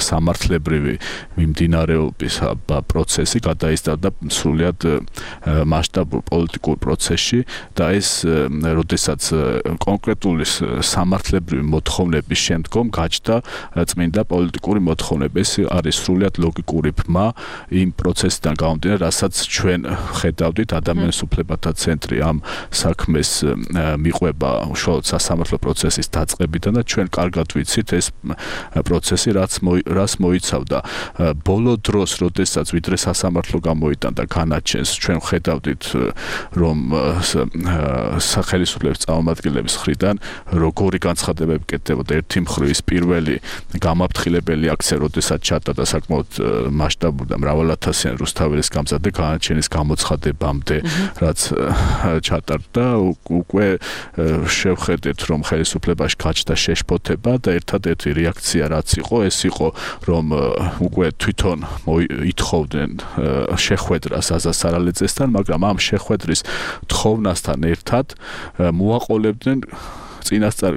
სამართლებრივი მიმდინარეობის პროცესი გადაიზარდა სრულიად მასშტაბურ პოლიტიკურ პროცესში და ეს როდესაც კონკრეტული სამართლებრივი მოთხოვნების შემდგომ გაჩნდა წმინდა პოლიტიკური მოთხოვნები. ეს არის სრულიად ლოგიკური ბმა იმ პროცესიდან გამომდინარე, რასაც ჩვენ ხედავდით ადამიანის უფლებათა ცენტრი ამ საქმეს მიყვება უშუალოდ სასამართლო პროცესის დაწყებიდან და ჩვენ კარგად ვიცით ეს პროცესი რას მოიცავდა. ბოლო დროს, როდესაც ვიდრე სასამართლო გამოიტანდა განაჩენს, ჩვენ ხედავდით რომ სახელმწიფოების წარმომადგენლების მხრიდან როგორი განცხადებები კეთდებოდა. ერთი მხრივ ის პირველი გამაფრთხილებელი აქცია, როდესაც ჩატარდა და საკმაოდ მასშტაბური და მრავალათასიანი რუსთაველის გამზადდა განაჩენის გამოცხადებამდე, რაც ჩატარდა, უკვე შევხედეთ, რომ ხელისუფლებაში გაჩნდა შეშფოთება და ერთადერთი რეაქცია რაც იყო, ეს იყო, რომ უკვე თვითონ ითხოვდნენ შეხვედრას აზაზ სარალეძესთან, მაგრამ ამ შეხვედრის თხოვნასთან ერთად მოაყოლებდნენ წინასწარ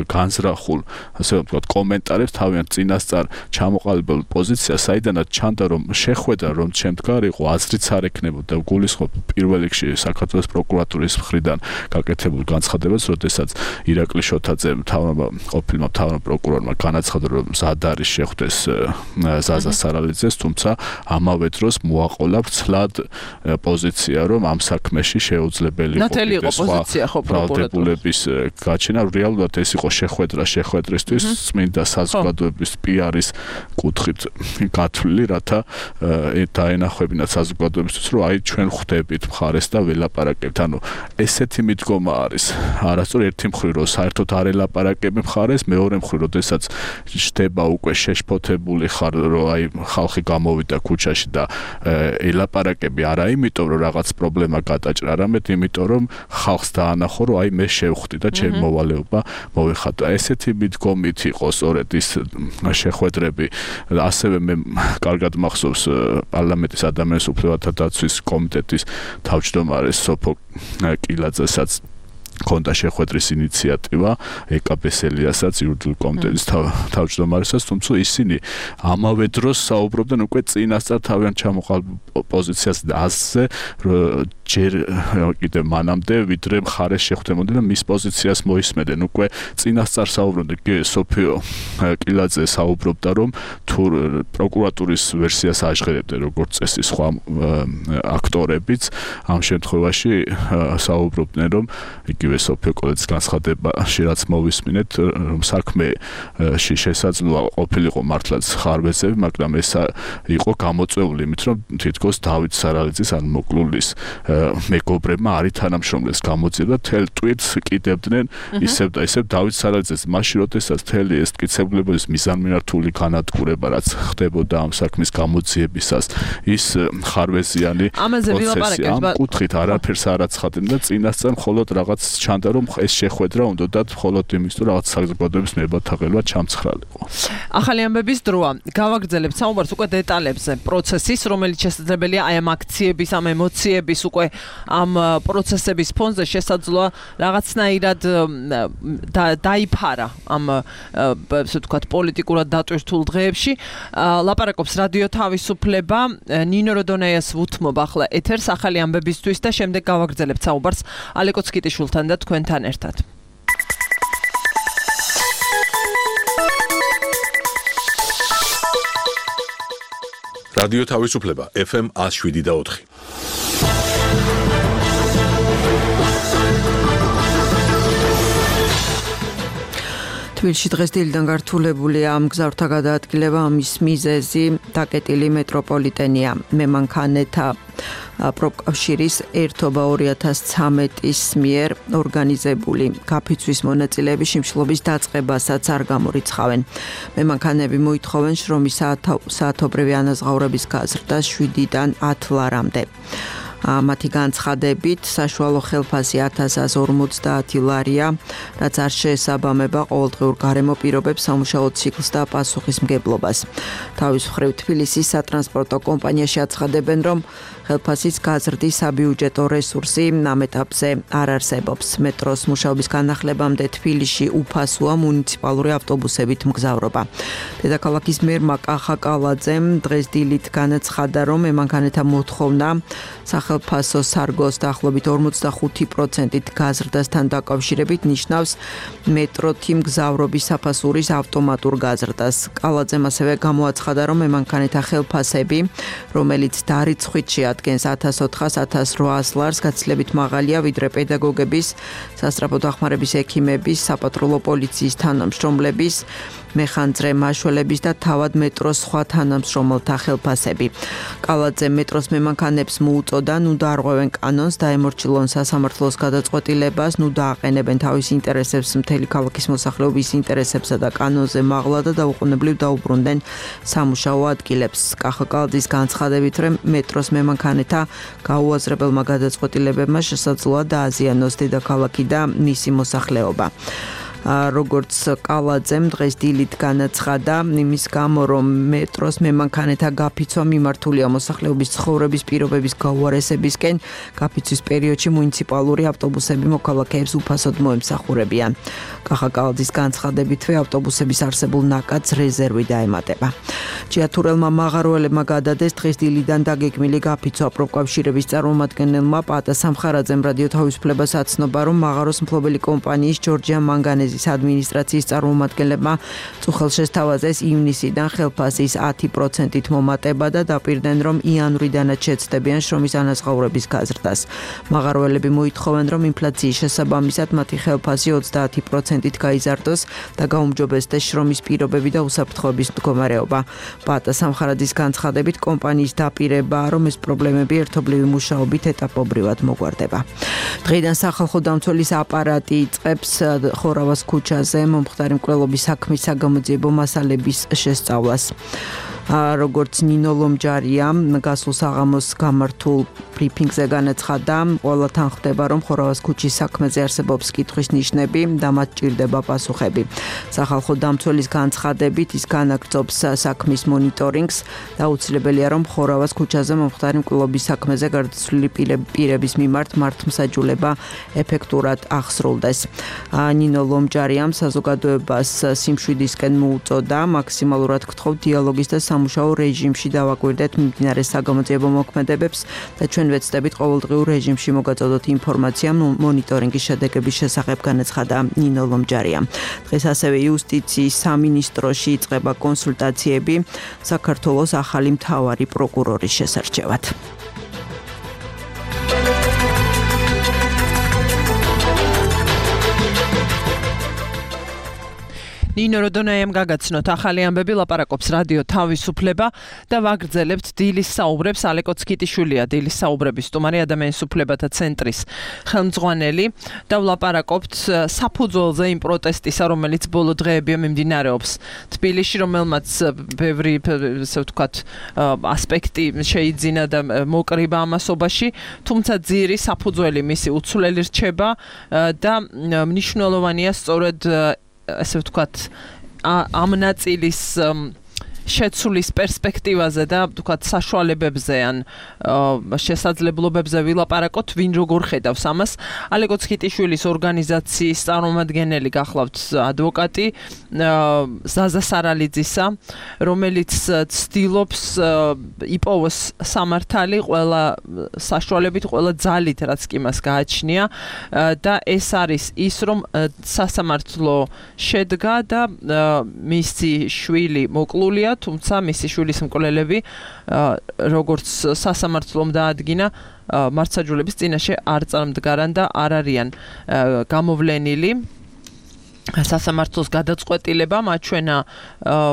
განზრახულ, ასე ვთქვათ, კომენტარებს თავიანთ წინასწარ ჩამოყალიბებულ პოზიციას, საიდანაც ჩანდა, რომ შეხვედრა რომ შემდგარ იყო, აზრიც არ ექნებოდა გულისხმობ პირველ რიგში საქართველოს პროკურატურის მხრიდან გაკეთებულ განცხადებას, როდესაც ირაკლი შოთაძემ ყოფილმა მთავრმა პროკურორმა განაცხადა, რომ მზად არის შეხვდეს ზაზა სარალეძეს, თუმცა ამავე დროს მოაყოლა ვრცლად პოზიცია, რომ ამ საქმეში შეუძლებელი იყო ნათელი იყო პოზიცია ხო პროკურატურის რეალურად ეს იყო შეხვედრისთვის წმინდა საზოგადოების პიარის კუთხით გათვლილი, რათა დაენახებინათ საზოგადოებისთვის, რომ აი ჩვენ ხვდებით მხარეს და ველაპარაკებთ. ანუ ესეთი მიდგომა არის. არასწორ ერთი მხრივ რომ საერთოდ არ ელაპარაკები მხარეს, მეორე მხრივ როდესაც შდება უკვე შეშფოთებული ხარ, რომ აი ხალხი გამოვიდა ქუჩაში და ელაპარაკები არა იმიტომ რომ რაღაც პრობლემა გადაჭრა, არამედ იმიტომ რომ ხალხს დაანახო, რომ აი მე შევხვდი და ჩემი მოვალეობა მოვიხატა. ესეთი მიდგომით იყო სწორედ ის შეხვედრები. ასევე მე კარგად მახსოვს პარლამენტის ადამიანის უფლებათა დაცვის კომიტეტის თავმჯდომარეს სოფო კილაძესაც ქონდა შეხვედრის ინიციატივა ეკაპესელიასაც იურიდიული კომიტეტის თავმჯდომარესაც, თუმცა ისინი ამავე დროს საუბრობდნენ უკვე წინასწარ თავიანთ ჩამოყალიბ პოზიციას დასზე ჯერ კიდევ მანამდე ვიდრე მხარეს შეხვდებოდნენ და მის პოზიციას მოისმენდნენ. უკვე წინასწარ საუბრობდნენ კი სოფიო კილაძე საუბრობდა რომ თუ პროკურატურის ვერსიას აჟღერებდნენ როგორც წესი სხვა აქტორებიც ამ შემთხვევაში საუბრობდნენ რომ იგივე სოფიო კილაძის განცხადებაში რაც მოვისმინეთ რომ საქმეში შესაძლოა ყოფილიყო მართლაც ხარვეზები, მაგრამ ეს იყო გამოწვეული იმით რომ თითქოს დავით სარალიძის ან მოკლულის მეგობრებმა არის თანამშრომლებს გამოძიება თელ ტვირთს კიდევდნენ ისევ და ისევ დავით სარალიძეს მაშინ როდესაც თელი ეს მტკიცებულების მიზანმიმართული განადგურება რაც ხდებოდა ამ საქმის გამოძიებისას ის ხარვეზიანი პროცესი ამ კუთხით არაფერს არ აცხადებდა და წინასწარ მხოლოდ რაღაც ჩანდა რომ ეს შეხვედრა უნდათ მხოლოდ იმის თუ რაღაც საზოგადოების მებათაღელვა ჩამცხრალიყო. ახალი ამბების დროა. გავაგრძელებთ საუბარს უკვე დეტალებზე პროცესის, რომელიც შესაძლებელია აი ამ აქციების, ამ ემოციების უკვე ამ პროცესების ფონზე შესაძლოა რაღაცნაირად დაიფარა ამ ესე ვთქვათ პოლიტიკურად დატვირთულ დღეებში. ლაპარაკობს რადიო თავისუფლება, ნინო როდონეიას ვუთმობ ახლა ეთერს ახალი ამბებისთვის და შემდეგ გავაგრძელებთ საუბარს ალეკო ცკიტიშვილთან და თქვენთან ერთად. რადიო თავისუფლება FM 107.4. თბილისში დღეს დილიდან გართულებულია ამ გზავრთა გადაადგილება, ამის მიზეზი დაკეტილი მეტროპოლიტენია. მემანქანეთა პროფკავშირის ერთობა 2013-ის მიერ ორგანიზებული გაფიცვის მონაწილეების შიმშილობის დაწყებასაც არ გამორიცხავენ. მემანქანები მოითხოვენ შრომის საათობრივი ანაზღაურების გაზრდას 7-დან 10 ლარამდე. მათი განცხადებით საშუალო ხელფასი 1150 ლარია, რაც არ შეესაბამება ყოველდღიურ გარემო პირობებს, სამუშაო ციკლს და პასუხისმგებლობას. თავის მხრივ თბილისის სატრანსპორტო კომპანიაში აცხადებენ, რომ ხელფასის გაზრდის საბიუჯეტო რესურსი ამ ეტაპზე არ არსებობს. მეტროს მუშაობის განახლებამდე თბილისში უფასოა მუნიციპალური ავტობუსებით მგზავრობა. დედაქალაქის მერმა კახა კალაძემ დღეს დილით განაცხადა, რომ მემანქანეთა მოთხოვნა სახელმწიფო სარგოს დაახლოებით 45%-ით გაზრდასთან დაკავშირებით ნიშნავს მეტროთი მგზავრობის საფასურის ავტომატურ გაზრდას. კალაძემ ასევე გამოაცხადა, რომ მემანქანეთა ხელფასები, რომელიც დარიცხვით შეადგენს 1400-1800 ლარს, გაცილებით მაღალია ვიდრე პედაგოგების, სასწრაფო დახმარების ექიმების, საპატრულო პოლიციის თანამშრომლების, მეხანძრე მაშველების და თავად მეტროს სხვა თანამშრომელთა ხელფასები. კალაძე მეტროს მემანქანებს მოუწოდა, ნუ დაარღვევენ კანონს, დაემორჩილონ სასამართლოს გადაწყვეტილებას, ნუ დააყენებენ თავის ინტერესებს მთელი ქალაქის მოსახლეობის ინტერესებსა და კანონზე მაღლა და დაუყოვნებლივ დაუბრუნდნენ სამუშაო ადგილებს. კახა კალაძის განცხადებით, რომ მეტროს მემანქანეთა გაუაზრებელმა გადაწყვეტილებებმა შესაძლოა დააზიანოს დედაქალაქი და მისი მოსახლეობა. როგორც კალაძემ დღეს დილით განაცხადა, იმის გამო რომ მეტროს მემანქანეთა გაფიცვა მიმართულია მოსახლეობის ცხოვრების პირობების გაუარესებისკენ, გაფიცვის პერიოდში მუნიციპალური ავტობუსები მოქალაქეებს უფასოდ მოემსახურებიან. კახა კალაძის განცხადებითვე ავტობუსების არსებულ ნაკადს რეზერვი დაემატება. ჭიათურელმა მაღაროელებმა გადადეს დღეს დილიდან დაგეგმილი გაფიცვა. პროფკავშირების წარმომადგენელმა პატა სამხარაძემ რადიო თავისუფლებას აცნობა, რომ მაღაროს მფლობელი კომპანიის ჯორჯია მანგანეზის ადმინისტრაციის წარმომადგენლებმა წუხელს შესთავაზეს ივნისიდან ხელფასის 10%-ით მომატება და დაპირდნენ, რომ იანვრიდანაც შეცდებიან შრომის ანაზღაურების გაზრდას. მაღაროელები მოითხოვენ, რომ ინფლაციის შესაბამისად მათი ხელფასი 30%-ით გაიზარდოს და გაუმჯობესდეს შრომის პირობები და უსაფრთხოების მდგომარეობა. პატა სამხარაძის განცხადებით, კომპანიის დაპირებაა, რომ ეს პრობლემები ერთობლივი მუშაობით ეტაპობრივად მოგვარდება. დღეიდან სახალხო დამცველის აპარატი იწყებს ხორავას ქუჩაზე მომხდარი მკვლელობის საქმის საგამოძიებო მასალების შესწავლას. როგორც ნინო ლომჯარია გასულ საღამოს გამართულ ბრიფინგზე განაცხადა, ყველა თან ხდება, რომ ხორავას ქუჩის საქმეზე არსებობს კითხვის ნიშნები და მათ ჭირდება პასუხები. სახალხო დამცველის განცხადებით ის განაგრძობს საქმის მონიტორინგს და აუცილებელია, რომ ხორავას ქუჩაზე მომხდარი მკვლობის საქმეზე გარდაცვლილი პირების მიმართ მართლმსაჯულება ეფექტურად აღსრულდეს. ნინო ლომჯარიამ საზოგადოებას სიმშვიდისკენ მოუწოდა, მაქსიმალურად გთხოვთ დიალოგის და სამუშაო რეჟიმში დავაკვირდეთ მიმდინარე საგამოძიებო მოქმედებებს და ჩვენ ვეცდებით ყოველდღიურ რეჟიმში მოგაწოდოთ ინფორმაცია მონიტორინგის შედეგების შესახებ, განაცხადა ნინო ლომჯარიამ. დღეს ასევე იუსტიციის სამინისტროში იწყება კონსულტაციები საქართველოს ახალი მთავარი პროკურორის შესარჩევად. ნინო როდონაიამ გაგაცნოთ ახალი ამბები, ლაპარაკობს რადიო თავისუფლება და ვაგრძელებთ დილის საუბრებს. ალეკო ცკიტიშვილია დილის საუბრების სტუმარი, ადამიანის უფლებათა ცენტრის ხელმძღვანელი და ვლაპარაკობთ საფუძველზე იმ პროტესტისა, რომელიც ბოლო დღეებია მიმდინარეობს თბილისში, რომელმაც ბევრი ასე ვთქვათ ასპექტი შეიძინა და მოკრიბა ამასობაში, თუმცა ძირი საფუძველი მისი უცვლელი რჩება და მნიშვნელოვანია სწორედ ასე ვთქვათ ამ ნაწილის შეცვლის პერსპექტივაზე და ვთქვათ საშუალებებზე ან შესაძლებლობებზე ვილაპარაკოთ, ვინ როგორ ხედავს ამას. ალეკო ცკიტიშვილის ორგანიზაციის წარმომადგენელი გახლავთ ადვოკატი ზაზა სარალიძისა, რომელიც ცდილობს იპოვოს სამართალი ყველა საშუალებით, ყველა ძალით, რაც კი მას გააჩნია და ეს არის ის, რომ სასამართლო შედგა და მისი შვილი მოკლულია, თუმცა მისი შვილის მკვლელები როგორც სასამართლომ დაადგინა მართლმსაჯულების წინაშე არ წარმდგარან და არ არიან გამოვლენილი. სასამართლოს გადაწყვეტილება მაჩვენა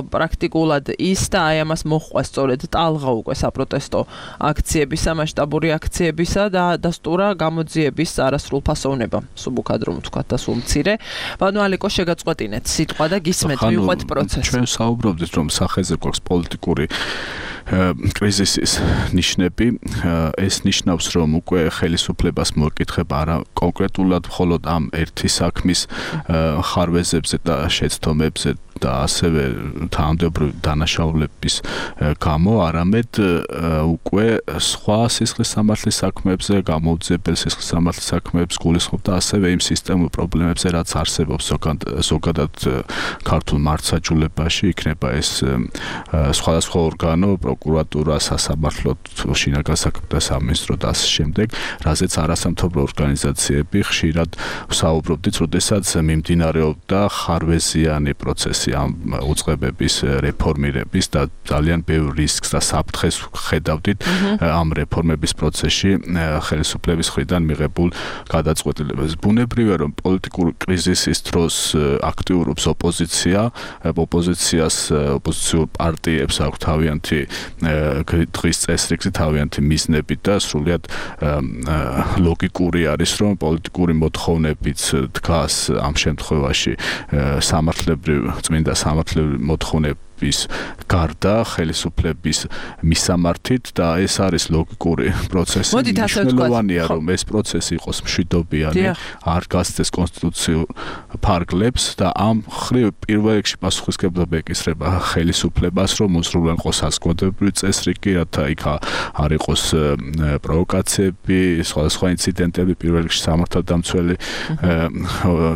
პრაქტიკულად ის და აი ამას მოჰყვა სწორედ ტალღა უკვე საპროტესტო აქციებისა, მასშტაბური აქციებისა და დასტურა გამოძიების არასრულფასოვნება. სუბუქადრო ვთქვათ და სულ მცირე. ბანო ალეკო შეგაწყვეტინეთ სიტყვა და გისმენთ, მივყვეთ პროცესი. ჩვენ საუბრობდით, რომ სახეზე გვაქვს პოლიტიკური კრიზისის ნიშნები. ეს ნიშნავს, რომ უკვე ხელისუფლებას მოეკითხება არა კონკრეტულად მხოლოდ ამ ერთი საქმის ხარვეზებზე და შეცდომებზე და ასევე თანამდებობრივი დანაშაულების გამო, არამედ უკვე სხვა სისხლის სამართლის საქმეებზე, გამოუძიებელ სისხლის სამართლის საქმეებს გულისხმობდა ასევე იმ სისტემურ პრობლემებზე, რაც არსებობს ზოგადად ქართულ მართლმსაჯულებაში, იქნება ეს სხვადასხვა ორგანო, პროკურატურა, სასამართლო, შინაგან საქმეთა სამინისტრო და ასე შემდეგ, რაზეც არასამთავრობო ორგანიზაციები ხშირად ვსაუბრობდით, როდესაც მიმდინარეობდა ხარვეზიანი პროცესი ამ უწყებების რეფორმირების და ძალიან ბევრ რისკს და საფრთხეს ხედავდით ამ რეფორმების პროცესში ხელისუფლების მხრიდან მიღებულ გადაწყვეტილებებს. ბუნებრივია, რომ პოლიტიკური კრიზისის დროს აქტიურობს ოპოზიცია, ოპოზიციურ პარტიებს აქვს თავიანთი დღის წესრიგი, თავიანთი მიზნები და სრულიად ლოგიკური არის, რომ პოლიტიკური მოთხოვნებიც დგას ამ შემთხვევაში წმინდა სამართლებრივი მოთხოვნების გარდა ხელისუფლების მისამართით და ეს არის ლოგიკური პროცესი. მნიშვნელოვანია, რომ ეს პროცესი იყოს მშვიდობიანი, არ გასცეს კონსტიტუციურ ფარგლებს და ამ ხრივ პირველ რიგში პასუხისმგებლობა ეკისრება ხელისუფლებას, რომ მოსრულიყო საზოგადოებრივი წესრიგი, რათა იქ არ იყოს პროვოკაციები, სხვადასხვა ინციდენტები, პირველ რიგში სამართალდამცველი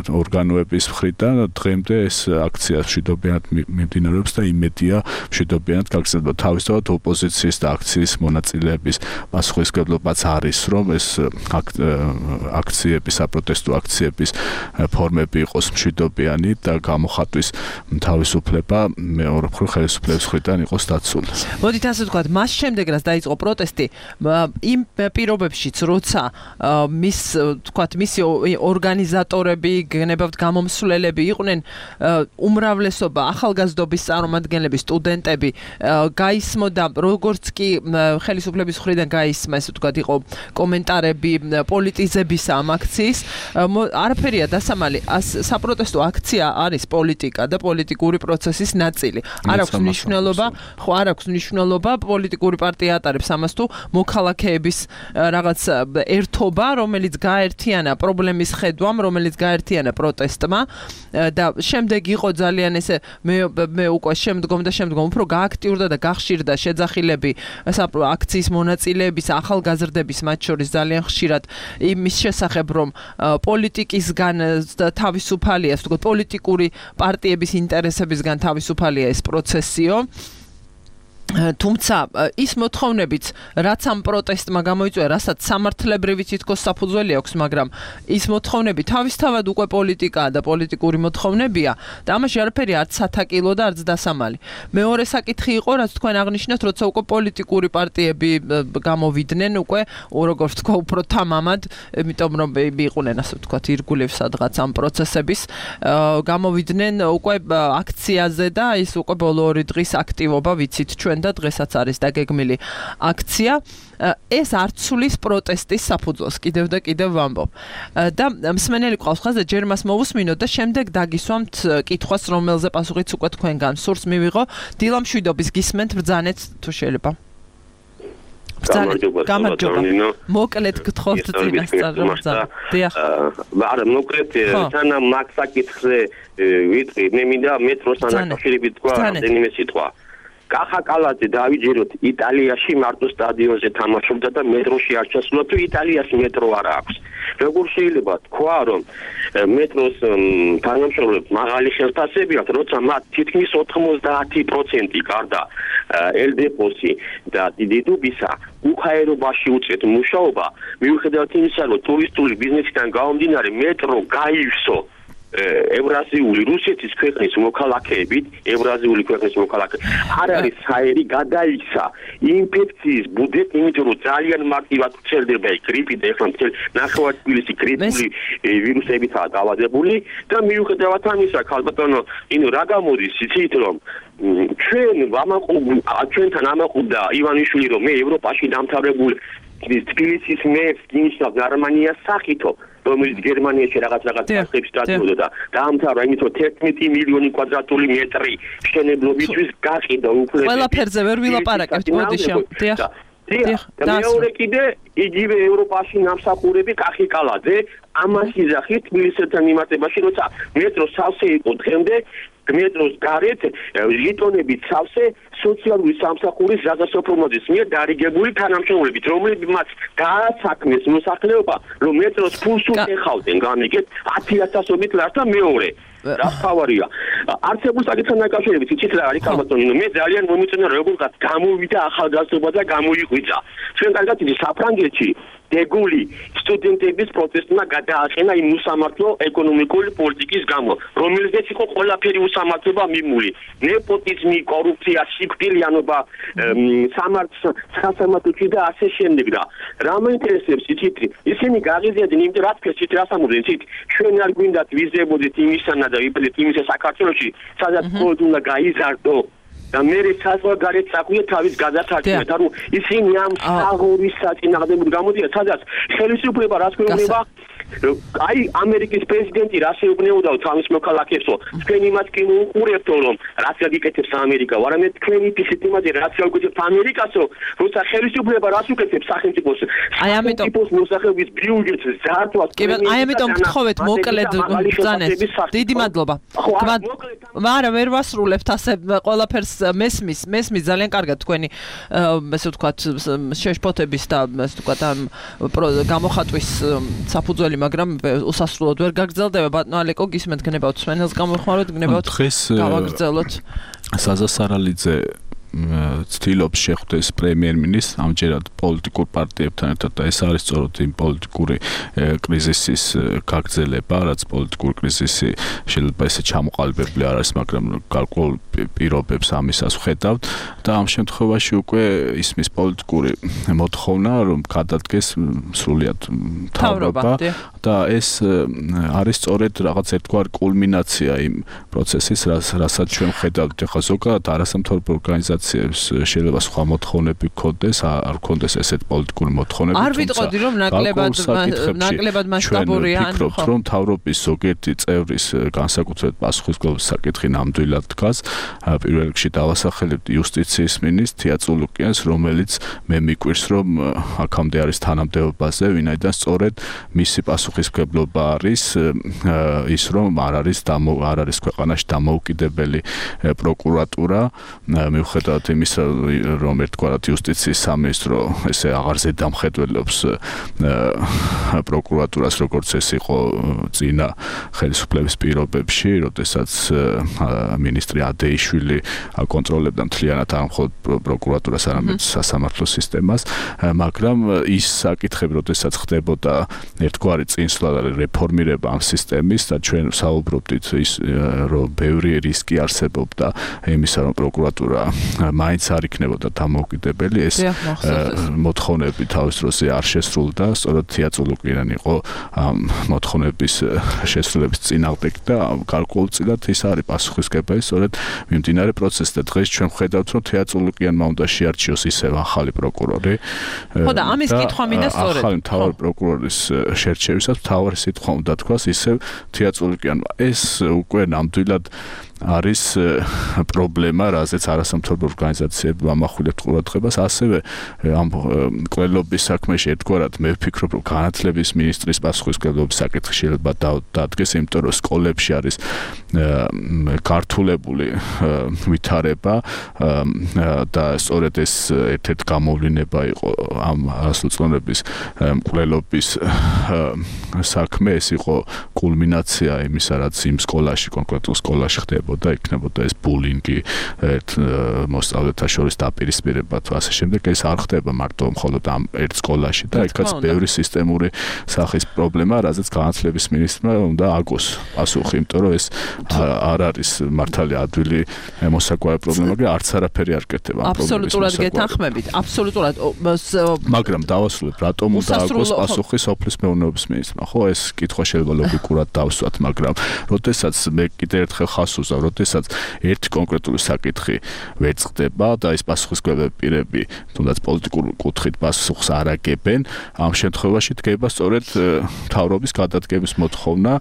ორგანოების მხრიდან. დღემდე ეს აქცია მშვიდობიანად მიმდინარეობს და იმედია მშვიდობიანად გაგრძელდება. თავისთავად ოპოზიციის და აქციის მონაწილეების პასუხისმგებლობაც არის, რომ ეს აქციები, საპროტესტო აქციების ფორმები იყოს მშვიდობიანი და გამოხატვის თავისუფლება მეორე მხრივ ხელისუფლების მხრიდან იყოს დაცული. მოდით ასე ვთქვათ, მას შემდეგ რაც დაიწყო პროტესტი, იმ პირობებშიც, როცა მისი ორგანიზატორები, გენებავთ გამომსვლელები იყვნენ უმრავლესობა ახალგაზრდობის წარმომადგენლები წარმომადგენლები, სტუდენტები გაისმოდა, როგორც კი ხელისუფლების მხრიდან გაისმა, ესე ვთქვათ, იყო კომენტარები პოლიტიზების ამ აქციის, არაფერია დასამალი, საპროტესტო აქცია არის პოლიტიკა და პოლიტიკური პროცესის ნაწილი. არ აქვს მნიშვნელობა, პოლიტიკური პარტია ატარებს ამას თუ მოქალაქეების რაღაც ერთობა, რომელიც გაერთიანა პრობლემის ხედვამ, რომელიც გაერთიანა პროტესტმა და შემდეგ იყო ძალიან ესე მე უკვე შემდგომ უფრო გააქტიურდა და გახშირდა შეძახილები აქციის მონაწილეების, ახალგაზრდების მათ შორის ძალიან ხშირად იმის შესახებ, რომ პოლიტიკისგან თავისუფალია, ასე ვთქვათ, პოლიტიკური პარტიების ინტერესებისგან თავისუფალია ეს პროცესიო. თუმცა ის მოთხოვნებიც, რაც ამ პროტესტმა გამოიწვია, რასაც სამართლებრივი თითქოს საფუძველი აქვს, მაგრამ ის მოთხოვნები თავისთავად უკვე პოლიტიკაა და პოლიტიკური მოთხოვნებია და ამაში არაფერი არც სათაკილო და არც დასამალი. მეორე საკითხი იყო, რაც თქვენ აღნიშნეთ, როცა უკვე პოლიტიკური პარტიები გამოვიდნენ, უკვე როგორც თქვა, უფრო თამამად, იმიტომ რომ იყვნენ, ასე ვთქვათ, ირგვლივ სადღაც ამ პროცესების, გამოვიდნენ უკვე აქციაზე და ის უკვე ბოლო 2 დღის აქტივობა ვიცით ჩვენ და დღესაც არის დაგეგმილი აქცია. ეს არ ცვლის პროტესტის საფუძველს, კიდევ და კიდევ ვამბობ. და მსმენელი ყავს ხაზზე, ჯერ მას მოვუსმინოთ და შემდეგ დაგისვამთ კითხვას, რომელზე პასუხიც უკვე თქვენგან სურს მივიღო. დილა მშვიდობის გისმენთ, ბრძანეთ თუ შეიძლება. გამარჯობა. მოკლედ გთხოვთ წინასწარ რომ ბრძანოთ. დიახ. არა, მოკლედ თანა მაგ საკითხზე ვიტყვი, მე მინდა მეტროსთან დაკავშირებით თქვა რამდენიმე სიტყვა. კახა კალაძე დავიჯეროთ იტალიაში მარტო სტადიონზე თამაშობდა და მეტროში არ ჩასულა თუ იტალიას მეტრო არ აქვს. როგორ შეიძლება თქვა რომ მეტროს თანამშრომლებს მაღალი ხელფასები აქვს, როცა მათ თითქმის 90% გარდა ელდეპოსი და დიდუბისა უხაერობაში უწევთ მუშაობა, მიუხედავად იმისა, რომ ტურისტული ბიზნესიდან გამომდინარე მეტრო გაივსო ევრაზიული რუსეთის ქვეყნის მოქალაქეებით, ევრაზიული ქვეყნის მოქალაქეებით, არ არის საერი გადაიქცა ინფექციის ბუდეთ, იმიტომ რომ ძალიან მარტივად ვრცელდება გრიპი და ეხლა მთელ ნახევარსფეროში გრიპული ვირუსებითაა დაავადებული და მიუხედავად ამისა, ქალბატონო, რა გამოდის იცით რომ ჩვენთან ამაყობდა ივანიშვილი რომ მე ევროპაში დამთავრებული თბილისის მერს გინიშნავ გერმანიას სახითო რომელიც გერმანიაში რაღაც ფასებს დაწოდოდა და დაამთავრა იმით რომ 11 მილიონი კვადრატული მეტრი მშენებლობისთვის გაყიდა უფლება ყველაფერზე ვერ ვილაპარაკებთ მოდიშა დიახ და მეორე კიდე იგივე ევროპაში ნამსახურები კახი კალაძე ამას იძახით თბილისთან მიმართებაში როცა მეტრო სავსე იყო დღემდე მეტროს გარეთ ლიტონებით სავსე სოციალური სამსახურის რაზასოფრომოძის მიერ დარიგებული თანამშრომლებით, რომლებმაც დაასაქმეს მოსახლეობა, რომ მეტროს ფულს უხავდნენ, გამიგეთ 10,000-ობით ლარს და მეორე. რა თავარია. არცებულ საკითხთან დაკავშირებით იცით რა არის ქალბატონო, მე ძალიან მომიწონა როგორღაც გამოვიდა ახალგაზრდობა და გამოიღვიძა. ჩვენ კარგად იცით საფრანგეთში დეგული სტუდენტების პროტესტმა გადააყენა იმ უსამართლო ეკონომიკური პოლიტიკის გამო, რომელზეც იყო ყველაფერი უსამართლობა მიმული. ნეპოტიზმი, კორუფცია, სიკვდილიანობა, სასამართლოში და ასე შემდეგ და რა მაინტერესებს იცით, ისინი გაღიზიანდნენ იმიტომ რაც ფესით რასამურდნენ იცით, ჩვენ არ გვინდათ ვიზებოდეთ იმისანა და ვიპლეთ იმისა საქართველოში, სადაც მხოლოდ უნდა გაიზარდო და მე საზღვარგარეთ საქმე თავის გადასარჩევად, ანუ ისინი ამ საღურის საწინააღმდეგოდ გამოდიან, სადაც ხელისუფლება რას გვეუბნება, აი ამერიკის პრეზიდენტი რას ეუბნებოდა თავის მოქალაქეებსო, თქვენ იმას კი უყურებთო, რომ რაც გაკეთებს ამერიკა, არამედ თქვენი ფიქრით იმაზე რაც გაკეთებს ამერიკასო, როცა ხელისუფლება რას უკეთებს სახელმწიფოს, აი ამიტომ მოსახლეობის ბიუჯეტს ზართვას, აი ამიტომ გთხოვეთ მოკლედ ბრძანეთ. დიდი მადლობა. მაგრამ ვერ ვასრულებთ ასე ყველაფერს მესმის ძალიან კარგად თქვენი ესე ვთქვათ შეშფოთების და ესე ვთქვათ ამ გამოხატვის საფუძველი, მაგრამ უსასრულოდ ვერ გაგრძელდება. ბატონო ალეკო, გისმენთ, გნებავთ სვენელს გამოხმაროთ, გნებავთ გავაგრძელოთ. საზა სარალიძე ცდილობს შეხვდეს პრემიერ-მინისტრს ამჯერად პოლიტიკურ პარტიებთან ერთად და ეს არის სწორედ იმ პოლიტიკური კრიზისის გაგრძელება, რაც პოლიტიკური კრიზისი შეიძლება ესე ჩამოყალიბებული არ არის, მაგრამ გარკვეულ პირობებს ამისას ვხედავთ და ამ შემთხვევაში უკვე ისმის პოლიტიკური მოთხოვნა, რომ გადადგეს სრულიად მთავრობა და ეს არის სწორედ რაღაც ერთგვარი კულმინაცია იმ პროცესის, რასაც ჩვენ ვხედავთ ახლა ზოგადად არასამთავრობო ორგანიზაციებს შეიძლება სხვა მოთხოვნები გქონდეს, არ გქონდეს ესეთ პოლიტიკური მოთხოვნები. არ ვიტყოდი რომ ნაკლებად მასშტაბურია, ან ვფიქრობთ რომ მთავრობის ზოგიერთი წევრის განსაკუთრებით პასუხისმგებლობის საკითხი ნამდვილად დგას. პირველ რიგში დავასახელებთ იუსტიციის მინისტრს თიაწულუკიანს, რომელიც მე მიკვირს რომ აქამდე არის თანამდებობაზე, ვინაიდან სწორედ მისი პასუხისმგებლობა არის ის რომ არ არის ქვეყანაში დამოუკიდებელი პროკურატურა, მიუხედავად იმისა, რომ ერთგვარად იუსტიციის სამინისტრო ესე აღარ ზედამხედველობს პროკურატურას, როგორც ეს იყო წინა ხელისუფლების პირობებში, როდესაც მინისტრი ადეიშვილი აკონტროლებდა მთლიანად არ მხოლოდ პროკურატურას, არამედ სასამართლო სისტემას, მაგრამ ის საკითხები, როდესაც ხდებოდა ერთგვარი წინსვლა და რეფორმირება ამ სისტემის და ჩვენ საუბრობდით ის, რომ ბევრი რისკი არსებობდა იმისა, რომ პროკურატურა მაინც არ იქნებოდა დამოუკიდებელი, ეს მოთხოვნები თავის დროზე არ შესრულდა, სწორედ თიაწულუკიანი იყო ამ მოთხოვნების შესრულების წინააღმდეგ და გარკვეულწილად ის არის პასუხისმგებელი, სწორედ მიმდინარე პროცესს და დღეს ჩვენ ვხედავთ, რომ თიაწულუკიანმა უნდა შეარჩიოს ისევ ახალი პროკურორი. ხო და ამის კითხვა მინდა სწორედ. ახალი მთავარი პროკურორის შერჩევისას მთავარი სიტყვა უნდა თქვას ისევ თიაწულუკიანმა. ეს უკვე ნამდვილად არის პრობლემა, რაზეც არასამთავრობო ორგანიზაციები ამახვილებთ ყურადღებას, ასევე ამ კვლელობის საქმეში ერთგვარად მე ვფიქრობ, რომ განათლების მინისტრის პასუხისმგებლობის საკითხი შეიძლება დადგეს, იმიტომ რომ სკოლებში არის გართულებული ვითარება და სწორედ ეს ერთ-ერთი გამოვლინება იყო ამ ასოციაციების კვლელობის საქმე, ეს იყო კულმინაცია იმისა, რაც იმ სკოლაში, კონკრეტულ სკოლაში ხდება და იქნებოდა ეს ბულინგი მოსწავლეთა შორის დაპირისპირება თუ ასე შემდეგ, ეს არ ხდება მარტო მხოლოდ ამ ერთ სკოლაში და იქაც ბევრი სისტემური სახის პრობლემა, რაზეც განათლების მინისტრმა უნდა აგოს პასუხი, იმიტომ რომ ეს არ არის მართალი ადვილი მოსაკვავე პრობლემა, მაგრამ არც არაფერი არ კეთდება ამ პრობლემის. აბსოლუტურად გეთანხმებით, აბსოლუტურად. მაგრამ დავასრულებ, რატომ უნდა აგოს პასუხი სოფლის მეურნეობის მინისტრმა? ხო, ეს კითხვა შეიძლება ლოგიკურად დავსვათ, მაგრამ როდესაც მე კიდევ ერთხელ ხას უზავ, როდესაც ერთი კონკრეტული საკითხი ვერ წყდება და ის პასუხისმგებელი პირები თუნდაც პოლიტიკურ კუთხით პასუხს არ აგებენ, ამ შემთხვევაში დგება სწორედ მთავრობის გადადგების მოთხოვნა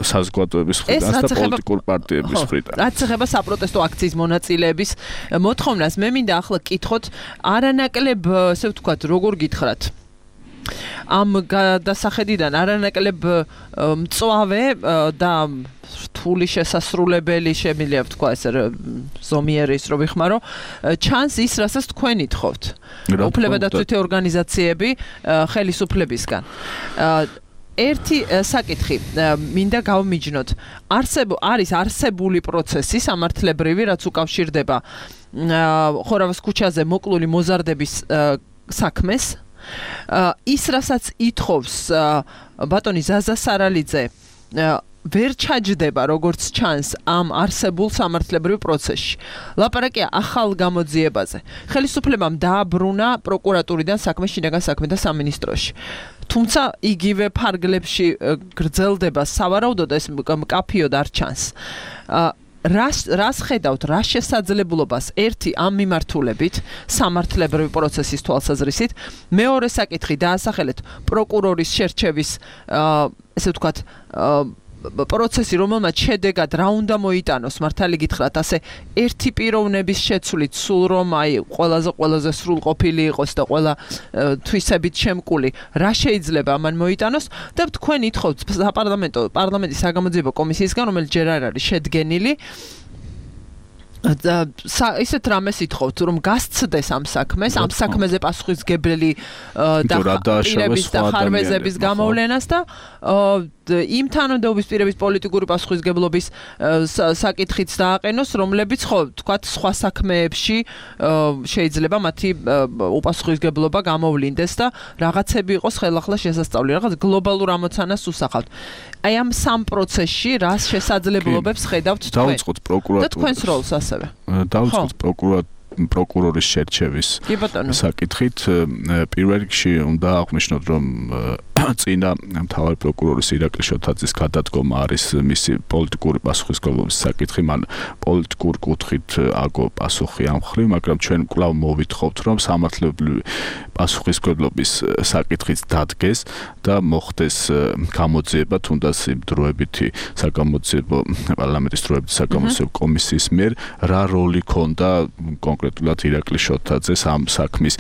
საზოგადოების მხრიდან და პოლიტიკურ პარტიების მხრიდან. რაც ეხება საპროტესტო აქციის მონაწილეების მოთხოვნას, მე მინდა ახლა კითხოთ არანაკლებ, ესე ვთქვათ, როგორ გითხრათ, ამ გადასახედიდან არანაკლებ მწვავე და რთული შესასრულებელი შემიძლია ვთქვა ესე ზომიერი ის რო ვიხმარო, ჩანს ის, რასაც თქვენ ითხოვთ. უფლებადაცვითი ორგანიზაციები ხელისუფლებისგან. ერთი საკითხი მინდა გავმიჯნოთ. არის არსებული პროცესი სამართლებრივი, რაც უკავშირდება ხორავის ქუჩაზე მოკლული მოზარდების საქმეს. ის, რასაც ითხოვს ბატონი ზაზა სარალიძე, ვერ ჩაჯდება როგორც ჩანს ამ არსებულ სამართლებრივ პროცესში. ლაპარაკია ახალ გამოძიებაზე. ხელისუფლებამ დააბრუნა პროკურატურიდან საქმე, შინაგან საქმეთა სამინისტროში. თუმცა იგივე ფარგლებში გრძელდება სავარაუდოდ ეს მკაფიოდ არ ჩანს. რას ხედავთ, რა შესაძლებლობას ერთი ამ მიმართულებით სამართლებრივი პროცესის თვალსაზრისით, მეორე საკითხი დაასახელეთ პროკურორის შერჩევის ესე ვთქვათ პროცესი, რომელმაც შედეგად რა უნდა მოიტანოს, მართალი გითხრათ, ასე ერთი პიროვნების შეცვლით, სულ რომ აი ყველაზე სრულყოფილი იყოს და ყველა თვისებით შემკული, რა შეიძლება ამან მოიტანოს და თქვენ ითხოვთ პარლამენტის საგამოძიებო კომისიისგან, რომელიც ჯერ არ არის შედგენილი, ისეთ რამეს ითხოვთ, რომ გასცდეს ამ საქმეს, ამ საქმეზე პასუხისმგებელი და პირების და ხარვეზების გამოვლენას და იმ თანამდებობის პირების პოლიტიკური პასუხისგებლობის საკითხიც დააყენოს, რომლებიც ხო თქვათ სხვა საქმეებში შეიძლება მათი უპასუხისგებლობა გამოვლინდეს და რაღაცები იყოს ხელახლა შესასწავლი, რაღაც გლობალურ ამოცანას უსახავთ. აი ამ სამ პროცესში რას შესაძლებლობებს ხედავთ თქვენ? დავიწყოთ პროკურატურის. და თქვენს როლს ასევე. დავიწყოთ პროკურორის შერჩევის საკითხით. პირველ რიგში უნდა აღვნიშნოთ, რომ წინა მთავარი პროკურორის ირაკლი შოთაძის გადადგომა არის მისი პოლიტიკური პასუხისმგებლობის საკითხი. მან პოლიტიკურ კუთხით აგო პასუხი ამ მხრივ, მაგრამ ჩვენ კვლავ მოვითხოვთ, რომ სამართლებრივი პასუხისმგებლობის საკითხიც დადგეს და მოხდეს გამოძიება, თუნდაც იმ დროებითი საგამოძიებო პარლამენტის დროებითი საგამოძიებო კომისიის მიერ რა როლი ქონდა კონკრეტულად ირაკლი შოთაძეს ამ საქმის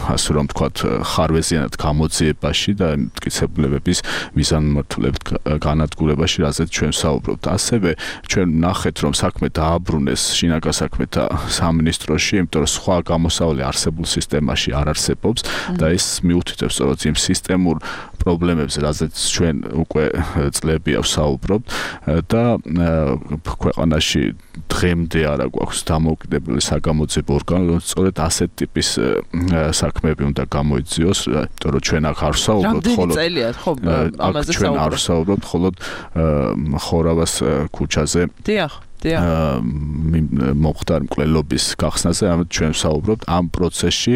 ასე რომ ვთქვათ ხარვეზიანად გამოძიებაში და მტკიცებულებების მიზანმიმართულებით განადგურებაში, რაზეც ჩვენ საუბრობთ. ასევე ჩვენ ნახეთ, რომ საქმე დააბრუნეს შინაგან საქმეთა სამინისტროში, იმიტომ რომ სხვა გამოსავალი არსებულ სისტემაში არ არსებობს და ეს მიუთითებს სწორედ იმ სისტემურ პრობლემებს, რაზეც ჩვენ უკვე წლებია ვსაუბრობთ და ქვეყანაში დღემდე არა გვაქვს დამოუკიდებელი საგამოძიებო ორგანო, რომ სწორედ ასეთ ტიპის საქმეები უნდა გამოიძიოს, იმიტომ რომ ჩვენ აქ არ ვსაუბრობთ მხოლოდ ჩვენ არ ვსაუბრობთ მხოლოდ ხორავას ქუჩაზე. დიახ. მომხდარ მკვლელობის გახსნაზე, ამით ჩვენ ვსაუბრობთ ამ პროცესში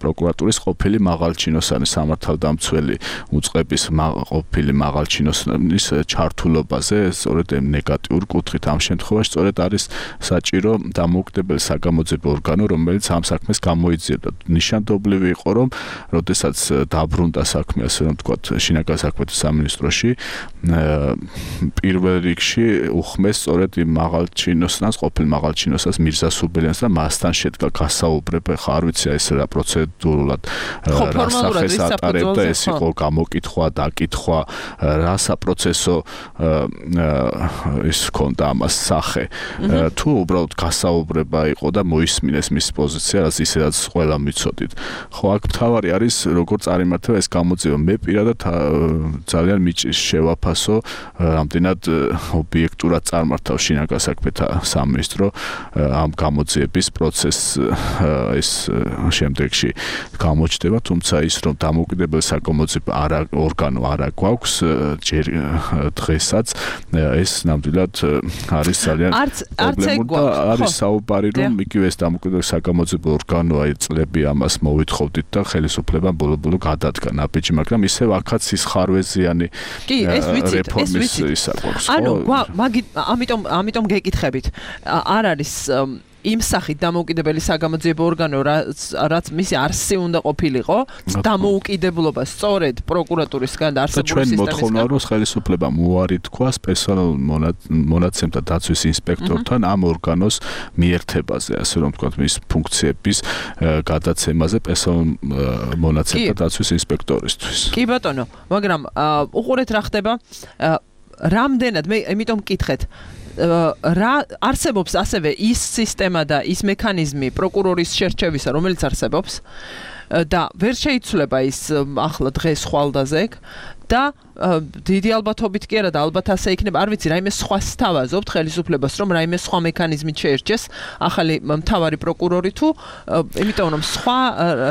პროკურატურის ყოფილი მაღალჩინოსანი სამართალდამცველი უწყების ყოფილი მაღალჩინოსანის ჩართულობაზე, სწორედ ნეგატიურ კუთხით ამ შემთხვევაში სწორედ არის საჭირო დამოუკიდებელი საგამოძიებო ორგანო, რომელიც ამ საქმეს გამოიძიებდა. ნიშანდობლივი იყო, რომ როდესაც დაბრუნდა საქმე, ასე რომ ვთქვათ, შინაგან საქმეთა სამინისტროში, პირველ რიგში უხმეს სწორედ იმ მაღალჩინოსნას, ყოფილ მაღალჩინოსას მირზა სუბელიანს და მასთან შედგა გასაუბრება, ხა არ ვიცი ეს რა პროცედურულად რა სახეს ატარებდა, ეს იყო გამოკითხვა, დაკითხვა, რა საპროცესო ის ჰქონდა ამას სახე. თუ უბრალოდ გასაუბრება იყო და მოისმინეს მის პოზიცია, რაც ისედაც ყველა მიცოდით. ხო, აქ მთავარი არის როგორ წარიმართა ეს გამოძიება. მე პირადად ძალიან მიჭირს შევაფასო, რამდენად ობიექტურად წარმართავ შინაგან საქმეთა სამინისტრო ამ გამოძიების პროცესს ეს შემდეგში გამოჩნდება, თუმცა ის რომ დამოუკიდებელი საგამოძიებო ორგანო არ გვაქვს ჯერ დღესაც ეს ნამდვილად არის ძალიან პრობლემური და არის საუბარი რომ იგივე ეს დამოუკიდებელი საგამოძიებო ორგანო აი წლები ამას მოვითხოვდით და ხელისუფლებამ ბოლო-ბოლო გადადგა ნაბიჯი, მაგრამ ისევ აქაც ის ხარვეზიანი რეფორმის ის აქვს. ანუ ამიტომ გეკითხებით, არ არის იმ სახით დამოუკიდებელი საგამოძიებო ორგანო, რაც მისი არსი უნდა ყოფილიყო, დამოუკიდებლობა სწორედ პროკურატურისგან და არსებული სისტემისგან. ჩვენ მოთხოვნა რომ ხელისუფლებამ უარი თქვას პერსონალურ მონაცემთა დაცვის ინსპექტორთან ამ ორგანოს მიერთებაზე, ასე რომ ვთქვათ, მის ფუნქციების გადაცემაზე პერსონალურ მონაცემთა დაცვის ინსპექტორისთვის. კი ბატონო, მაგრამ უყურეთ რა ხდება, რამდენად მე იმიტომ მკითხეთ რა არსებობს ასევე ის სისტემა და ის მექანიზმი პროკურორის შერჩევისა, რომელიც არსებობს და ვერ შეიცვლება ის ახლა დღეს ხვალდაზე და დიდი ალბათობით კი არა და ალბათ ასე იქნება, არ ვიცი, რაიმე სხვა სთავაზობთ ხელისუფლებას, რომ რაიმე სხვა მექანიზმით შეერჩეს ახალი მთავარი პროკურორი თუ იმიტომ რომ სხვა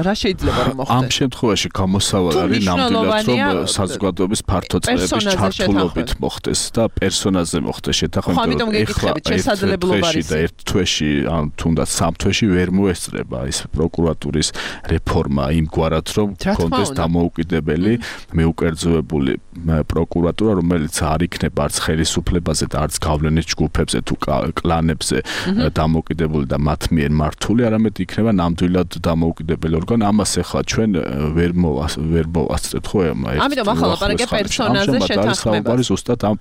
რა შეიძლება რომ მოხდეს. ამ შემთხვევაში გამოსავალი არის ნამდვილად რომ საზოგადოების ფართო წრეების ჩართულობით მოხდეს და პერსონაზე მოხდეს შეთანხმება. ეხლა შესაძლებლობა არის და ერთ თვეში ან თუნდაც სამ თვეში ვერ მოესწრება ის პროკურატურის რეფორმა იმგვარად რომ კონდეს დამოუკიდებელი მეუკერძოებული პროკურატურა, რომელიც არ იქნება არც ხელისუფლებაზე და არც გავლენის ჯგუფებზე თუ კლანებზე დამოუკიდებელი და მათ მიერ მართული, არამედ იქნება ნამდვილად დამოუკიდებელი ორგანო. ამას ახლა ჩვენ ვერ მოვასწრებთ ხო? ამიტომ ახლა ლაპარაკია პერსონაზე შეთანხმებას. ზუსტად ამ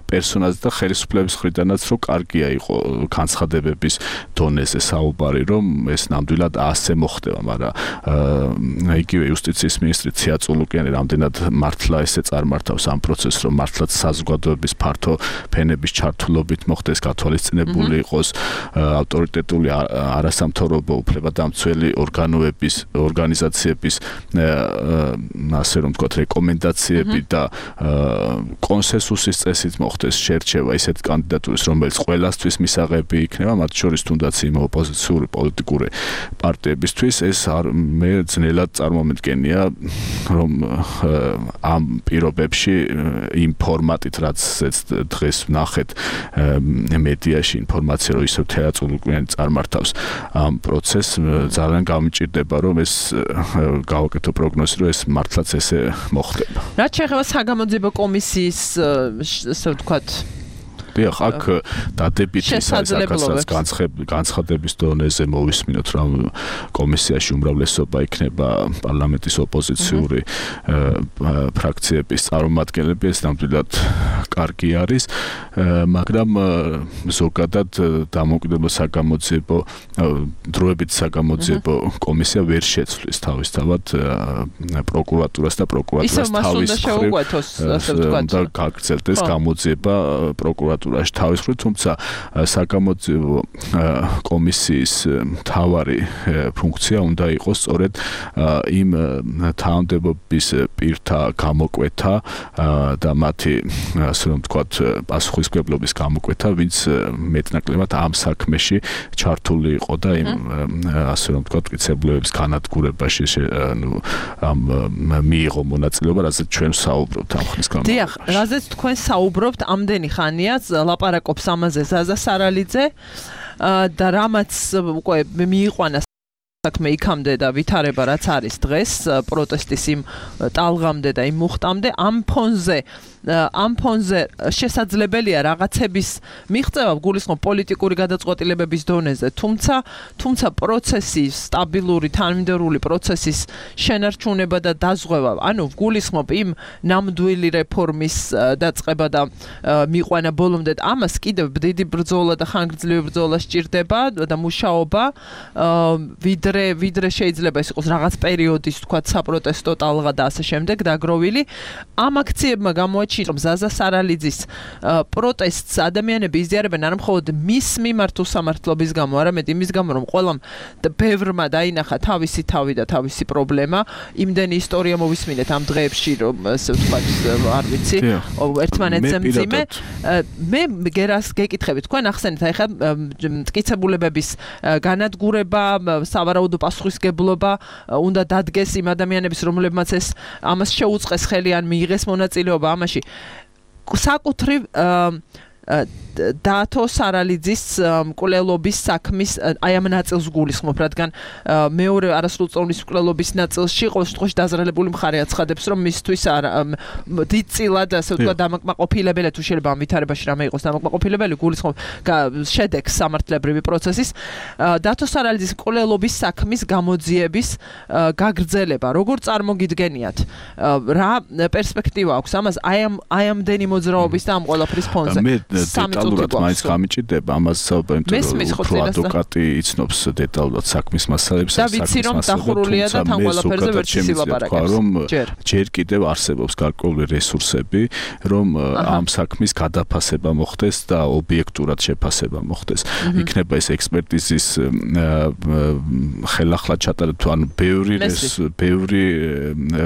პერსონაზე და ხელისუფლების მხრიდანაც რომ კარგია იყო განცხადებების დონეზე საუბარი, რომ ეს ნამდვილად ასე მოხდება, მაგრამ იგივე იუსტიციის მინისტრი ციაწულუკიანი რამდენად მართლა ესე წარმართავს ამ პროცესს, რომ მართლაც საზოგადოების ფართო ფენების ჩართულობით მოხდეს გათვალისწინებული იყოს ავტორიტეტული არასამთავრობო უფლებადამცველი ორგანიზაციების ასე რომ ვთქვათ რეკომენდაციები და კონსენსუსის წესით მოხდეს შერჩევა ისეთ კანდიდატურის, რომელიც ყველასთვის მისაღები იქნება, მათ შორის თუნდაც იმ ოპოზიციური პოლიტიკური პარტიებისთვის, ეს მე ძნელად წარმომედგენია, რომ ამ პირობებში იმ ფორმატით, რაც დღეს ვნახეთ მედიაში ინფორმაცია, რომ ისევ თეატრალური წარმართავს ამ პროცესს, ძალიან გამიჭირდება, რომ ეს გავაკეთო პროგნოზი, რომ ეს მართლაც ესე მოხდება. რაც შეეხება საგამოძიებო კომისიის, ასე ვთქვათ, აქ დადებითი საკაცრად განცხადების დონეზე მოვისმინოთ, რომ კომისიაში უმრავლესობა იქნება პარლამენტის ოპოზიციური ფრაქციების წარმომადგენლები, ეს ნამდვილად კარგი არის, მაგრამ ზოგადად დამოუკიდებელ საგამოძიებო დროებით საგამოძიებო კომისია ვერ შეცვლის თავისთავად პროკურატურას და პროკურატურას თავის მხრივ და გაგრძელდეს გამოძიება პროკურატურას თავის მხრივ, თუმცა საგამოძიებო კომისიის მთავარი ფუნქცია უნდა იყოს სწორედ იმ თანამდებობის პირთა გამოკვეთა და მათი ასე რომ ვთქვათ პასუხისმგებლობის გამოკვეთა, ვინც მეტნაკლებად ამ საქმეში ჩართული იყო და იმ ასე რომ ვთქვათ მტკიცებულებების განადგურებაში ამ მიიღო მონაწილეობა, რაზეც ჩვენ საუბრობთ ამ ხნის განმავლობაში. დიახ, რაზეც თქვენ საუბრობთ ამდენი ხანია ლაპარაკობს ამაზე ზაზა სარალიძე და რამაც უკვე მიიყვანა საქმე იქამდე და ვითარება რაც არის დღეს პროტესტის იმ ტალღამდე და იმ მუხტამდე ამ ფონზე შესაძლებელია რაღაცების მიღწევა გულისხმობ პოლიტიკური გადაწყვეტილებების დონეზე, თუმცა პროცესის სტაბილური თანმიმდევრული პროცესის შენარჩუნება და დაზღვევა, ანუ გულისხმობ იმ ნამდვილი რეფორმის დაწყება და მიიყვანა ბოლომდე, ამას კიდევ დიდი ბრძოლა და ხანგრძლივი ბრძოლა სჭირდება და მუშაობა ვიდრე შეიძლება ის იყოს რაღაც პერიოდის თქვა საპროტესტო ტალღა და ასე შემდეგ დაგროვილი. ამ აქციებმა გამოაჩინა, რომ ზაზა სარალიძის პროტესტს ადამიანები იზიარებენ არ მხოლოდ მის მიმართ უსამართლობის გამო, არამედ იმის გამო, რომ ყველამ ბევრმა დაინახა თავისი თავი და თავისი პრობლემა. იმდენი ისტორია მოვისმინეთ ამ დღეებში, რომ ასე ვთქვათ, არ ვიცი, ერთმანეთზე მძიმე. მე გერას გეკითხებით, თქვენ ახსენეთ, აი ხა მტკიცებულებების განადგურება, სავარაუდო პასუხისმგებლობა უნდა დადგეს იმ ადამიანების, რომლებმაც ეს ამას შეუწყეს ხელი ან მიიღეს მონაწილეობა ამაში. საკუთრივ დათო სარალიძის მკვლელობის საქმის აი ამ ნაწილს გულისხმობ, რადგან მეორე არასრულწლოვნის მკვლელობის ნაწილში ყოველ შემთხვევაში დაზრალებული მხარე აცხადებს, რომ მისთვის დიდწილად ასე ვთქვათ დამაკმაყოფილებელი, თუ შეიძლება ამ ვითარებაში რამე იყოს დამაკმაყოფილებელი, გულისხმობ შედეგს სამართლებრივი პროცესის დათო სარალიძის მკვლელობის საქმის გამოძიების გაგრძელება. როგორ წარმოგიდგენიათ? რა პერსპექტივა აქვს ამას აი ამდენი მოძრაობის და ამ ყველაფრის ფონზე? დეტალურად მაინც გამიჭირდება ამას საუბარი, რომ ადვოკატი იცნობს დეტალურად საქმის მასალებს და ვიცი რომ დახურულია და თან ყველაფერზე ვერ ცილაპარაკებს, რომ ჯერ კიდევ არსებობს გარკვეული რესურსები, რომ ამ საქმის გადაფასება მოხდეს და ობიექტურად შეფასება მოხდეს. იქნება ეს ექსპერტიზის ხელახლა ჩატარება, ანუ ბევრი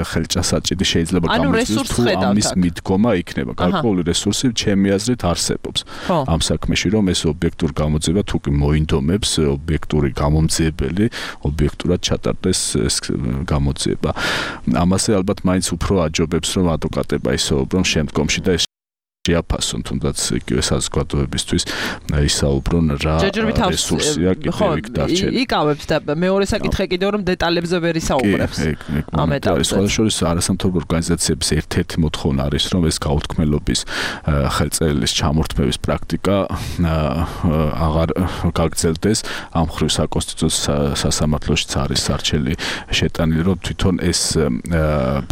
ხელჭასაჭირი შეიძლება გამოიწვიოს, თუ ამის მიდგომა იქნება. გარკვეული რესურსი ჩემი აზრით არსებობს ამ საქმეში, რომ ეს ობიექტურ გამოძიება თუ კი მოინდომებს ობიექტური გამომძიებელი ობიექტურად ჩატარდეს ეს გამოძიება. ამაზე ალბათ მაინც უფრო აჯობებს, რომ ადვოკატება ისაუბრონ შემდგომში და ეს შეაფასონ, თუნდაც იგივე საზოგადოებისთვის ისაუბრონ რა რესურსია კიდევ იქ დარჩენილი. იკავებს და მეორე საკითხი კიდევ რომ დეტალებზე ვერ ისაუბრებს. ამ ეტაპზე. სხვადასხვა არასამთავრობო ორგანიზაციების ერთ-ერთი მოთხოვნა არის, რომ ეს გაუთქმელობის ხელწერილის ჩამორთმევის პრაქტიკა აღარ გაგრძელდეს. ამ მხრივ საკონსტიტუციო სასამართლოშიც არის სარჩელი შეტანილი, რომ თვითონ ეს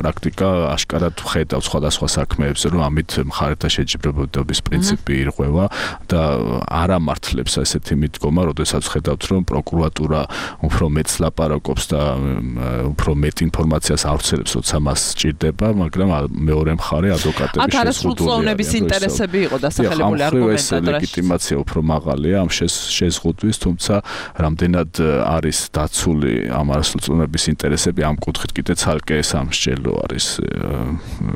პრაქტიკა აშკარად ხედავს სხვადასხვა საქმეებზე, რომ ამით მხარეთა შეჯიბრებადობის პრინციპი ირღვევა და არ ამართლებს ესეთი მიდგომა, როდესაც ხედავთ, რომ პროკურატურა უფრო მეტს ლაპარაკობს და უფრო მეტ ინფორმაციას ავრცელებს, როცა მას სჭირდება, მაგრამ მეორე მხარე ადვოკატების აქ არასრულწლოვნების ინტერესები იყო დასახელებული არგუმენტად. ლეგიტიმაცია უფრო მაღალია ამ შეზღუდვის, თუმცა რამდენად არის დაცული ამ არასრულწლოვნების ინტერესები ამ კუთხით კიდე ცალკე სამსჯელო არის,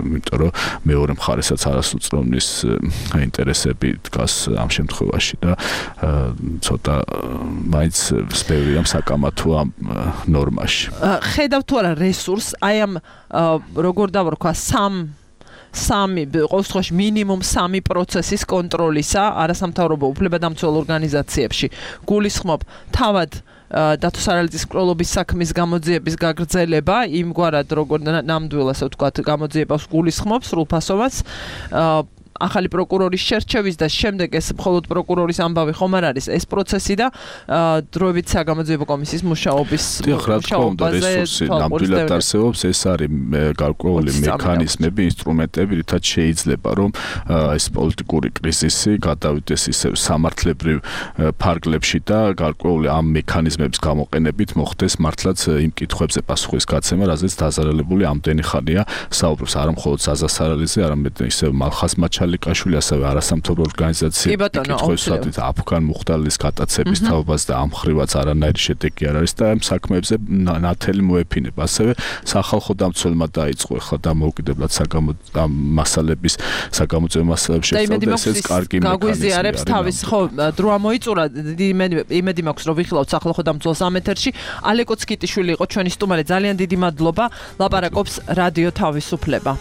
იმიტომ რომ მეორე მხარესაც არასრულწლოვნის ინტერესები დგას ამ შემთხვევაში და ცოტა მაინც ბევრია საკამათო ამ ნორმაში. ხედავთ თუ არა რესურს, აი ამ როგორ დავარქვა სამი ყოველ შემთხვევაში მინიმუმ 3 პროცესის კონტროლისა არასამთავრობო უფლებადამცველ ორგანიზაციებში. გულისხმობ თავად დათო სარალიძის მკვლელობის საქმის გამოძიების გაგრძელება, იმგვარად როგორ ნამდვილ ასე ვთქვათ გამოძიებას გულისხმობს სრულფასოვანს, ახალი პროკურორის შერჩევის და შემდეგ ეს მხოლოდ პროკურორის ამბავი ხომ არ არის ეს პროცესი და დროებით საგამოძიებო კომისიის მუშაობის რესურსი ნამდვილად არსებობს, ეს არის გარკვეული მექანიზმები, ინსტრუმენტები, რითაც შეიძლება რომ ეს პოლიტიკური კრიზისი გადავიდეს ისე სამართლებრივ ფარგლებში და გარკვეული ამ მექანიზმების გამოყენებით მოხდეს მართლაც იმ კითხვებზე პასუხის გაცემა, რაზეც დაზარალებული ამდენი ხანია საუბრობს, არა მხოლოდ ზაზა სარალიძე, არამედ ისე მალხაზ ლიკაშვილი ასევე არასამთავრობო ორგანიზაცია კითხვისათვის აფგან მუხტალის გატაცების თაობას და ამ ხრივაც არანაირი შედეგი არ არის და ამ საქმეებზე ნათელი მოეფინება. ასევე სახალხო დამცველმა დაიწყო ახლა დამოუკიდებლად მასალების საგამოძიებო მასალებში შეცვალა და ესეც კარგი მექანიზმია. გაგვიზიარებს თავის ხო დრო ამოიწურა, იმედი მაქვს რომ ვიხილავთ სახალხო დამცველს ამ ეთერში. ალეკო ცკიტიშვილი იყო ჩვენი სტუმარი, ძალიან დიდი მადლობა. ლაპარაკობს რადიო თავისუფლება.